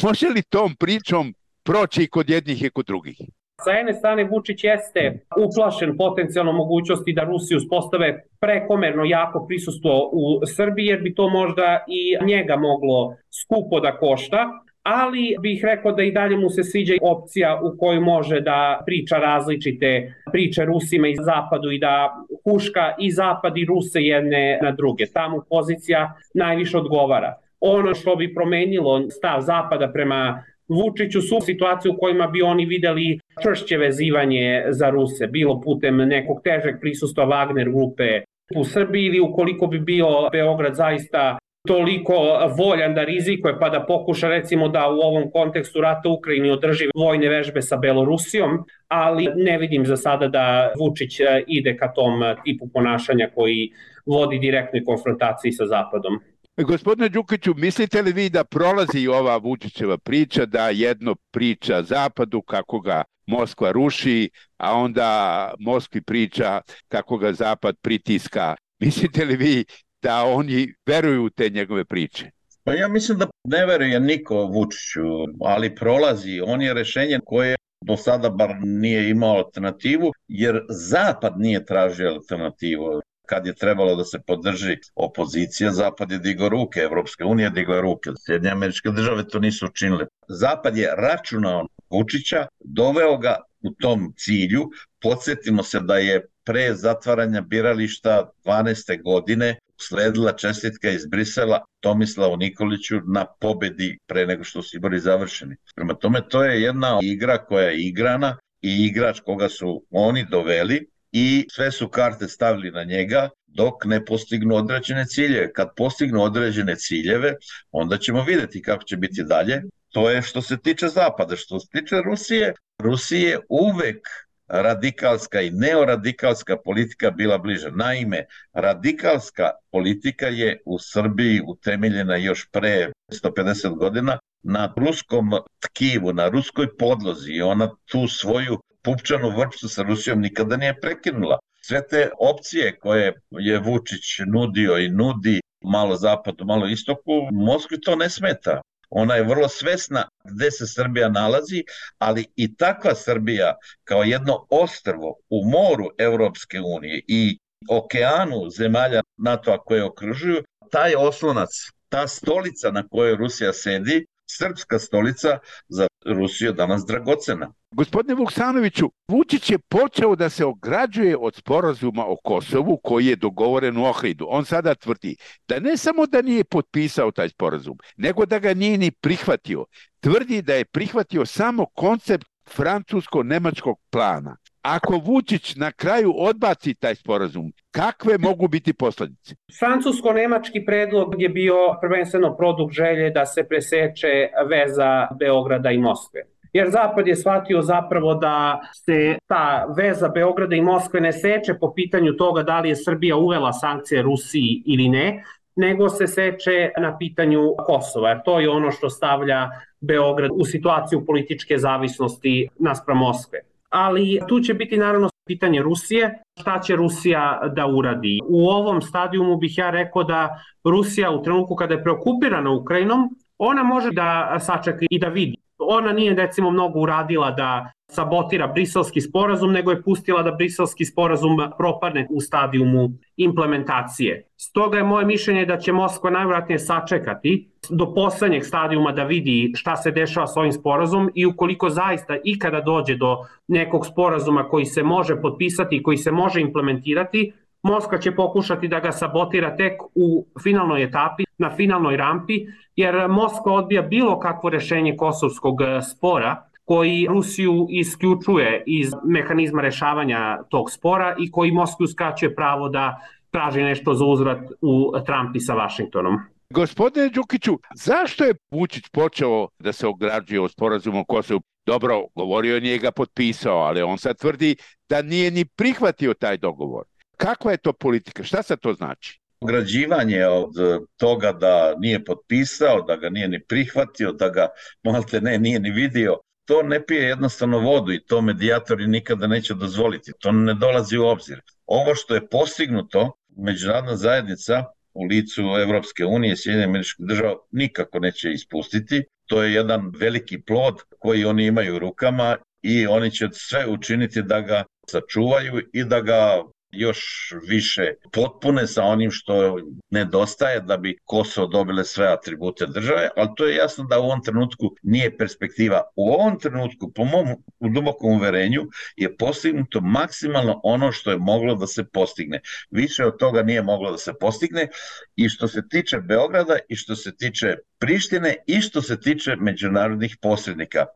Može li tom pričom proći i kod jednih i kod drugih? Sa jedne strane Vučić jeste uplašen potencijalno mogućnosti da Rusi uspostave prekomerno jako prisustvo u Srbiji jer bi to možda i njega moglo skupo da košta, ali bih rekao da i dalje mu se sviđa opcija u kojoj može da priča različite priče Rusima i Zapadu i da huška i Zapad i Ruse jedne na druge. Tamo pozicija najviše odgovara. Ono što bi promenilo stav Zapada prema Vučiću su situacije u kojima bi oni videli čvršće vezivanje za Ruse, bilo putem nekog težeg prisustva Wagner grupe u Srbiji ili ukoliko bi bio Beograd zaista toliko voljan da rizikuje pa da pokuša recimo da u ovom kontekstu rata u Ukrajini održi vojne vežbe sa Belorusijom, ali ne vidim za sada da Vučić ide ka tom tipu ponašanja koji vodi direktnoj konfrontaciji sa Zapadom. Gospodine Đukiću, mislite li vi da prolazi ova Vučićeva priča, da jedno priča Zapadu kako ga Moskva ruši, a onda Moskvi priča kako ga Zapad pritiska? Mislite li vi da oni veruju u te njegove priče? Pa ja mislim da ne veruje niko Vučiću, ali prolazi. On je rešenje koje do sada bar nije imao alternativu, jer Zapad nije tražio alternativu. Kad je trebalo da se podrži opozicija, Zapad je digao ruke, Evropska unija je digla ruke, Sjedinjene Američke Države to nisu učinile. Zapad je računao Vučića, doveo ga u tom cilju. Podsjetimo se da je pre zatvaranja birališta 12. godine sledila čestitka iz Brisela Tomislavu Nikoliću na pobedi pre nego što su izbori završeni. Prema tome, to je jedna igra koja je igrana i igrač koga su oni doveli i sve su karte stavili na njega dok ne postignu određene ciljeve. Kad postignu određene ciljeve, onda ćemo vidjeti kako će biti dalje. To je što se tiče Zapada. Što se tiče Rusije, Rusije uvek radikalska i neoradikalska politika bila bliža. Naime, radikalska politika je u Srbiji utemeljena još pre 150 godina na ruskom tkivu, na ruskoj podlozi i ona tu svoju pupčanu vrpcu sa Rusijom nikada nije prekinula. Sve te opcije koje je Vučić nudio i nudi, malo zapadu, malo istoku, Moskvi to ne smeta. Ona je vrlo svesna gde se Srbija nalazi, ali i takva Srbija kao jedno ostrvo u moru Evropske unije i okeanu zemalja NATO-a koje okružuju, taj oslonac, ta stolica na kojoj Rusija sedi, srpska stolica, za Rusiju danas dragocena. Gospodine Vuksanoviću, Vučić je počeo da se ograđuje od sporazuma o Kosovu koji je dogovoren u Ohridu. On sada tvrdi da ne samo da nije potpisao taj sporazum, nego da ga nije ni prihvatio. Tvrdi da je prihvatio samo koncept francusko-nemačkog plana. Ako Vučić na kraju odbaci taj sporazum, kakve mogu biti posledice? Francusko-nemački predlog je bio prvenstveno produkt želje da se preseče veza Beograda i Moskve. Jer Zapad je shvatio zapravo da se ta veza Beograda i Moskve ne seče po pitanju toga da li je Srbija uvela sankcije Rusiji ili ne, nego se seče na pitanju Kosova, jer to je ono što stavlja Beograd u situaciju političke zavisnosti naspram Moskve. Ali tu će biti naravno pitanje Rusije, šta će Rusija da uradi. U ovom stadijumu bih ja rekao da Rusija u trenutku kada je preokupirana Ukrajinom, ona može da sačeka i da vidi. Ona nije recimo mnogo uradila da sabotira briselski sporazum, nego je pustila da briselski sporazum propadne u stadijumu implementacije. Stoga je moje mišljenje da će Moskva najvjerojatnije sačekati do poslednjeg stadijuma da vidi šta se dešava s ovim sporazumom i ukoliko zaista ikada dođe do nekog sporazuma koji se može potpisati i koji se može implementirati, Moskva će pokušati da ga sabotira tek u finalnoj etapi, na finalnoj rampi, jer Moskva odbija bilo kakvo rešenje kosovskog spora koji Rusiju isključuje iz mehanizma rešavanja tog spora i koji Moskvi uskraćuje pravo da traži nešto za uzvrat u trampi sa Vašingtonom. Gospodine Đukiću, zašto je Vučić počeo da se ograđuje od sporazuma o Kosovu? Dobro, govorio nije ga potpisao, ali on sad tvrdi da nije ni prihvatio taj dogovor. Kakva je to politika? Šta sad to znači? Ograđivanje od toga da nije potpisao, da ga nije ni prihvatio, da ga malte ne nije ni vidio, to ne pije jednostavno vodu i to medijatori nikada neće dozvoliti. To ne dolazi u obzir. Ovo što je postignuto, međunarodna zajednica u licu Evropske unije, Sjedinjenih Američkih Država nikako neće ispustiti. To je jedan veliki plod koji oni imaju u rukama i oni će sve učiniti da ga sačuvaju i da ga još više potpune sa onim što nedostaje da bi Kosovo dobile sve atribute države, ali to je jasno da u ovom trenutku nije perspektiva. U ovom trenutku, po mom dubokom uverenju, je postignuto maksimalno ono što je moglo da se postigne. Više od toga nije moglo da se postigne i što se tiče Beograda i što se tiče Prištine i što se tiče međunarodnih posrednika.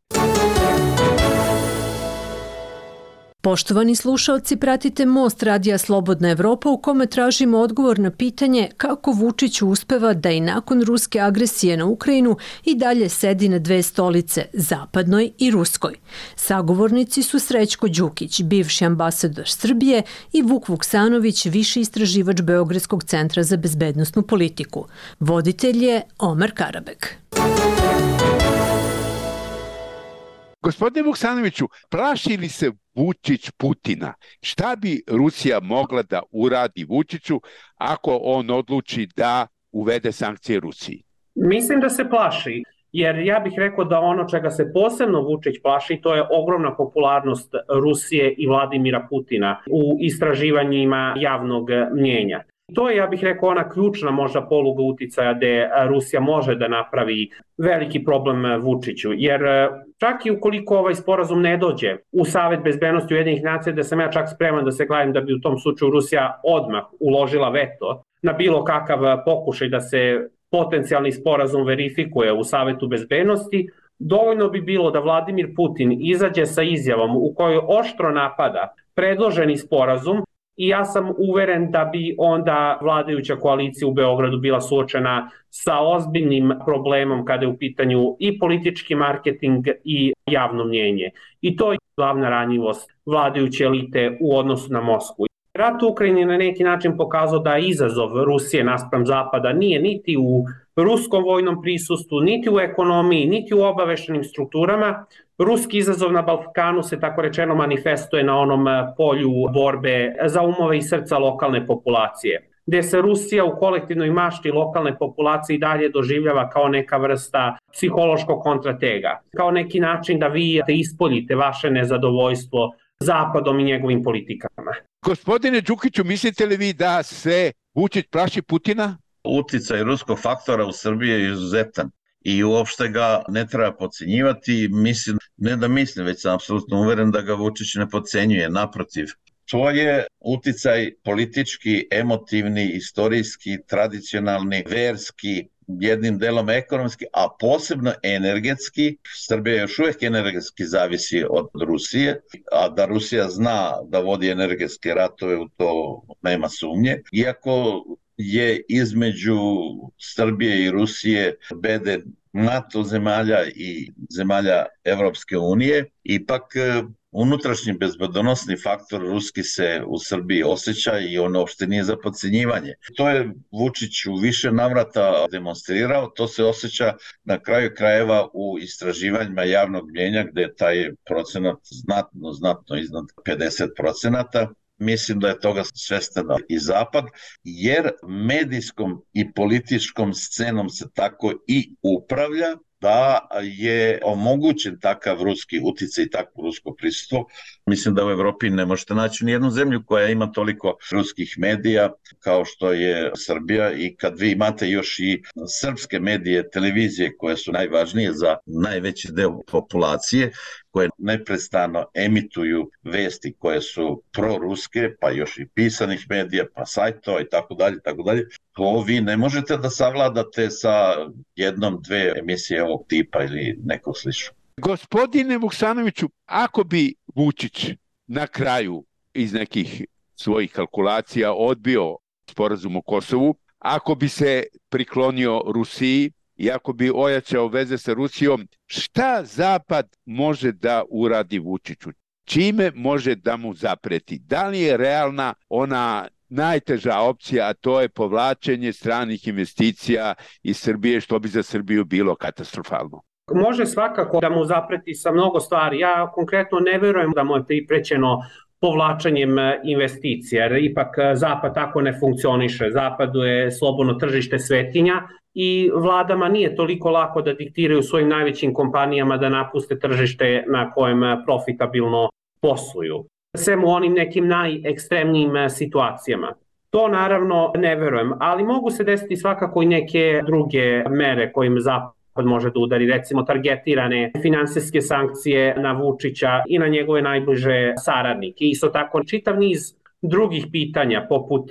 Poštovani slušaoci, pratite Most radija Slobodna Evropa u kome tražimo odgovor na pitanje kako Vučić uspeva da i nakon ruske agresije na Ukrajinu i dalje sedi na dve stolice, zapadnoj i ruskoj. Sagovornici su Srećko Đukić, bivši ambasador Srbije, i Vuk Vuksanović, viši istraživač Beogradskog centra za bezbednosnu politiku. Voditelj je Omer Karabek. Gospodine Vuksanoviću, plaši li se Vučić Putina? Šta bi Rusija mogla da uradi Vučiću ako on odluči da uvede sankcije Rusiji? Mislim da se plaši, jer ja bih rekao da ono čega se posebno Vučić plaši, to je ogromna popularnost Rusije i Vladimira Putina u istraživanjima javnog mnjenja. To je, ja bih rekao, ona ključna možda poluga uticaja gde Rusija može da napravi veliki problem Vučiću, jer čak i ukoliko ovaj sporazum ne dođe u Savet bezbednosti Ujedinjenih nacija, da sam ja čak spreman da se gledam da bi u tom slučaju Rusija odmah uložila veto na bilo kakav pokušaj da se potencijalni sporazum verifikuje u Savetu bezbednosti, dovoljno bi bilo da Vladimir Putin izađe sa izjavom u kojoj oštro napada predloženi sporazum. I ja sam uveren da bi onda vladajuća koalicija u Beogradu bila suočena sa ozbiljnim problemom kada je u pitanju i politički marketing i javno mnjenje. I to je glavna ranjivost vladajuće elite u odnosu na Moskvu. Rat u Ukrajini je na neki način pokazao da izazov Rusije naspram Zapada nije niti u ruskom vojnom prisustvu, niti u ekonomiji, niti u obaveštenim strukturama. Ruski izazov na Balkanu se tako rečeno manifestuje na onom polju borbe za umove i srca lokalne populacije, gde se Rusija u kolektivnoj mašti lokalne populacije i dalje doživljava kao neka vrsta psihološkog kontratega, kao neki način da vi ispoljite vaše nezadovoljstvo Zapadom i njegovim politikama. Gospodine Đukiću, mislite li vi da se Vučić plaši Putina? Uticaj ruskog faktora u Srbiji je izuzetan i uopšte ga ne treba podcenjivati. Mislim, već sam apsolutno uveren da ga Vučić ne podcenjuje, naprotiv. To je uticaj politički, emotivni, istorijski, tradicionalni, verski, jednim delom ekonomski, a posebno energetski. Srbija još uvijek energetski zavisi od Rusije, a da Rusija zna da vodi energetske ratove, u to nema sumnje. Iako je između Srbije i Rusije bede NATO zemalja i zemalja Evropske unije, ipak unutrašnji bezbedonosni faktor ruski se u Srbiji osjeća i on uopšte nije za podcenjivanje. To je Vučić u više navrata demonstrirao, to se osjeća na kraju krajeva u istraživanjima javnog mnjenja gde je taj procenat znatno iznad 50%. Mislim da je toga svestan i Zapad, jer medijskom i političkom scenom se tako i upravlja da je omogućen takav ruski uticaj i takvo rusko prisustvo. Mislim da u Evropi ne možete naći ni jednu zemlju koja ima toliko ruskih medija kao što je Srbija, i kad vi imate još i srpske medije, televizije koje su najvažnije za najveći deo populacije, koje neprestano emituju vesti koje su proruske, pa još i pisanih medija, pa sajtova i tako dalje. To vi ne možete da savladate sa jednom, dve emisije ovog tipa ili nekog sličnog. Gospodine Vuksanoviću, ako bi Vučić na kraju iz nekih svojih kalkulacija odbio sporazum o Kosovu, ako bi se priklonio Rusiji i ako bi ojačao veze sa Rusijom, šta Zapad može da uradi Vučiću? Čime može da mu zapreti? Da li je realna ona najteža opcija, a to je povlačenje stranih investicija iz Srbije, što bi za Srbiju bilo katastrofalno? Može svakako da mu zapreti sa mnogo stvari. Ja konkretno ne verujem da mu je priprećeno povlačenjem investicija, jer ipak Zapad tako ne funkcioniše. Zapadu je slobodno tržište svetinja i vladama nije toliko lako da diktiraju svojim najvećim kompanijama da napuste tržište na kojem profitabilno posluju. Sem u onim nekim najekstremnijim situacijama. To naravno ne verujem, ali mogu se desiti svakako i neke druge mere kojim Zapad može da udari, recimo targetirane finansijske sankcije na Vučića i na njegove najbliže saradnike. Isto tako čitav niz drugih pitanja, poput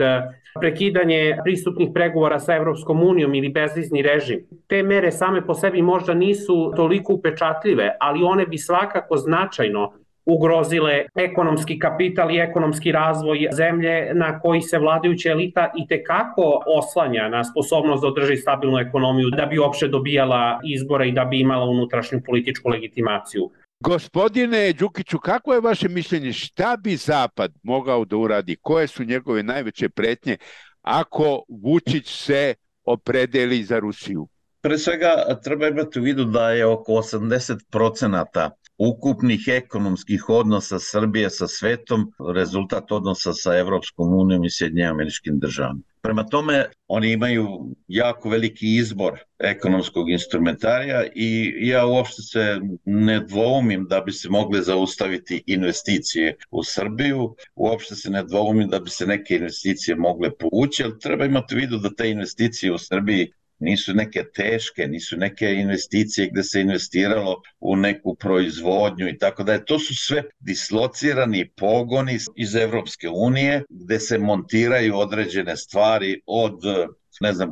prekidanje pristupnih pregovora sa Evropskom unijom ili bezvizni režim. Te mere same po sebi možda nisu toliko upečatljive, ali one bi svakako značajno ugrozile ekonomski kapital i ekonomski razvoj zemlje na koji se vladajuća elita i tekako oslanja na sposobnost da održi stabilnu ekonomiju da bi uopšte dobijala izbore i da bi imala unutrašnju političku legitimaciju. Gospodine Đukiću, kako je vaše mišljenje, šta bi Zapad mogao da uradi, koje su njegove najveće pretnje ako Vučić se opredeli za Rusiju? Pre svega treba imati u vidu da je oko 80% ukupnih ekonomskih odnosa Srbije sa svetom rezultat odnosa sa Evropskom unijom i Sjedinjenim Američkim Državama. Prema tome, oni imaju jako veliki izbor ekonomskog instrumentarija i ja uopšte se ne dvoumim da bi se mogle zaustaviti investicije u Srbiju, uopšte se ne dvoumim da bi se neke investicije mogle povući, ali treba imati u vidu da te investicije u Srbiji nisu neke teške, nisu neke investicije gde se investiralo u neku proizvodnju i tako da. To su sve dislocirani pogoni iz Evropske unije gde se montiraju određene stvari od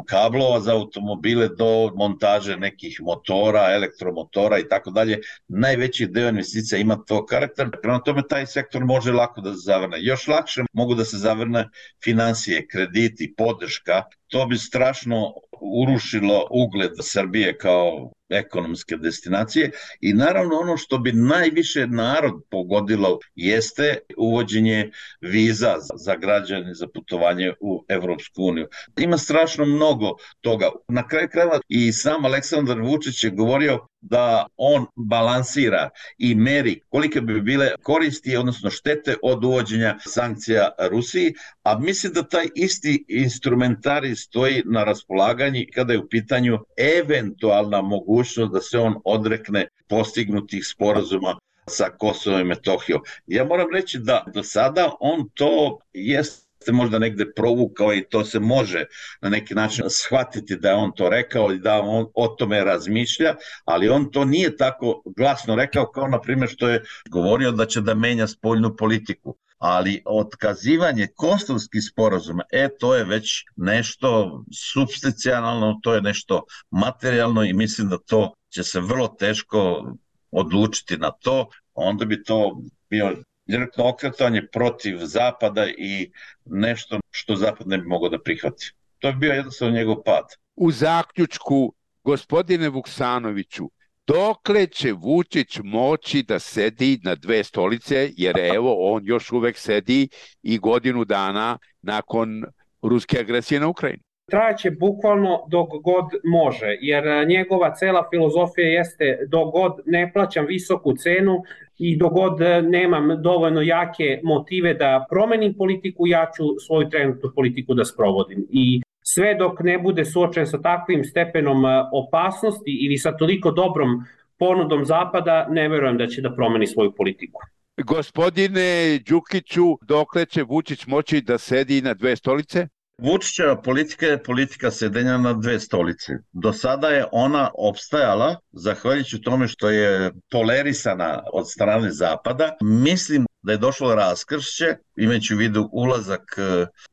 kablova za automobile do montaže nekih motora, elektromotora i tako dalje. Najveći deo investicija ima to karakter. Prema tome taj sektor može lako da se zavrne. Još lakše mogu da se zavrne finansije, krediti, podrška. To bi strašno urušilo ugled Srbije kao ekonomske destinacije i naravno ono što bi najviše narod pogodilo jeste uvođenje viza za građane za putovanje u Evropsku uniju. Ima strašno mnogo toga. Na kraju krajeva i sam Aleksandar Vučić je govorio da on balansira i meri kolike bi bile koristi, odnosno štete od uvođenja sankcija Rusiji, a mislim da taj isti instrumentarij stoji na raspolaganju kada je u pitanju eventualna mogućnost da se on odrekne postignutih sporazuma sa Kosovom i Metohijom. Ja moram reći da do sada on to jeste možda negde provukao i to se može na neki način shvatiti da je on to rekao i da on o tome razmišlja, ali on to nije tako glasno rekao kao na primjer što je govorio da će da menja spoljnu politiku. Ali otkazivanje kosovskih sporazuma, to je već nešto supstancijalno, to je nešto materijalno i mislim da to će se vrlo teško odlučiti na to, onda bi to bio direktno okretanje protiv Zapada i nešto što Zapad ne bi mogao da prihvati. To bi bio jednostavno njegov pad. U zaključku, gospodine Vuksanoviću, dokle će Vučić moći da sedi na dve stolice, jer evo on još uvek sedi i godinu dana nakon ruske agresije na Ukrajinu? Trajaće bukvalno dok god može, jer njegova cela filozofija jeste dok god ne plaćam visoku cenu i dok god nemam dovoljno jake motive da promenim politiku, ja ću svoju trenutnu politiku da sprovodim. I sve dok ne bude suočen sa takvim stepenom opasnosti ili sa toliko dobrom ponudom Zapada, ne verujem da će da promeni svoju politiku. Gospodine Đukiću, dokle će Vučić moći da sedi na dve stolice? Vučićeva politika je politika sedenja na dve stolice. Do sada je ona opstajala zahvaljujući tome što je tolerisana od strane Zapada. Mislim da je došlo raskršće, imajući u vidu ulazak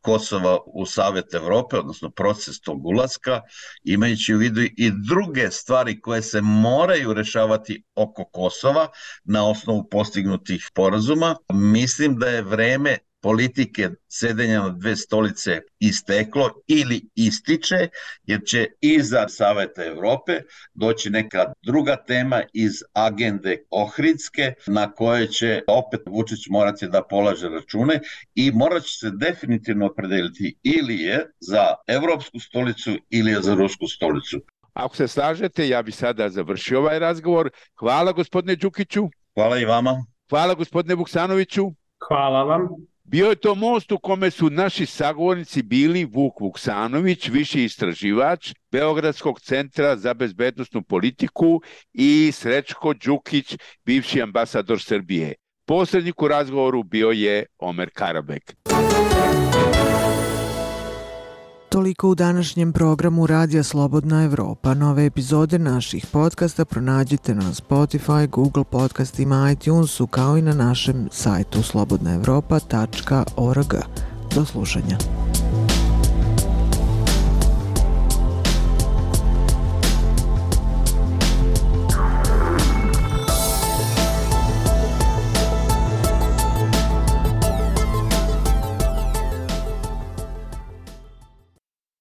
Kosova u Savet Evrope, odnosno proces tog ulaska, imajući u vidu i druge stvari koje se moraju rešavati oko Kosova na osnovu postignutih sporazuma. Mislim da je vreme politike sedenja na dve stolice isteklo ili ističe, jer će iza Saveta Evrope doći neka druga tema iz agende Ohridske na koje će opet Vučić morati da polaže račune i morat će se definitivno opredeliti ili je za evropsku stolicu ili je za rusku stolicu. Ako se slažete, ja bih sada završio ovaj razgovor. Hvala gospodine Đukiću. Hvala i vama. Hvala gospodine Vuksanoviću. Hvala vam. Bio je to most u kome su naši sagovornici bili Vuk Vuksanović, viši istraživač Beogradskog centra za bezbednosnu politiku i Srećko Đukić, bivši ambasador Srbije. Posrednik u razgovoru bio je Omer Karabek. Toliko u današnjem programu Radija Slobodna Evropa. Nove epizode naših podcasta pronađite na Spotify, Google podcastima, iTunesu, kao i na našem sajtu slobodnaevropa.org. Do slušanja.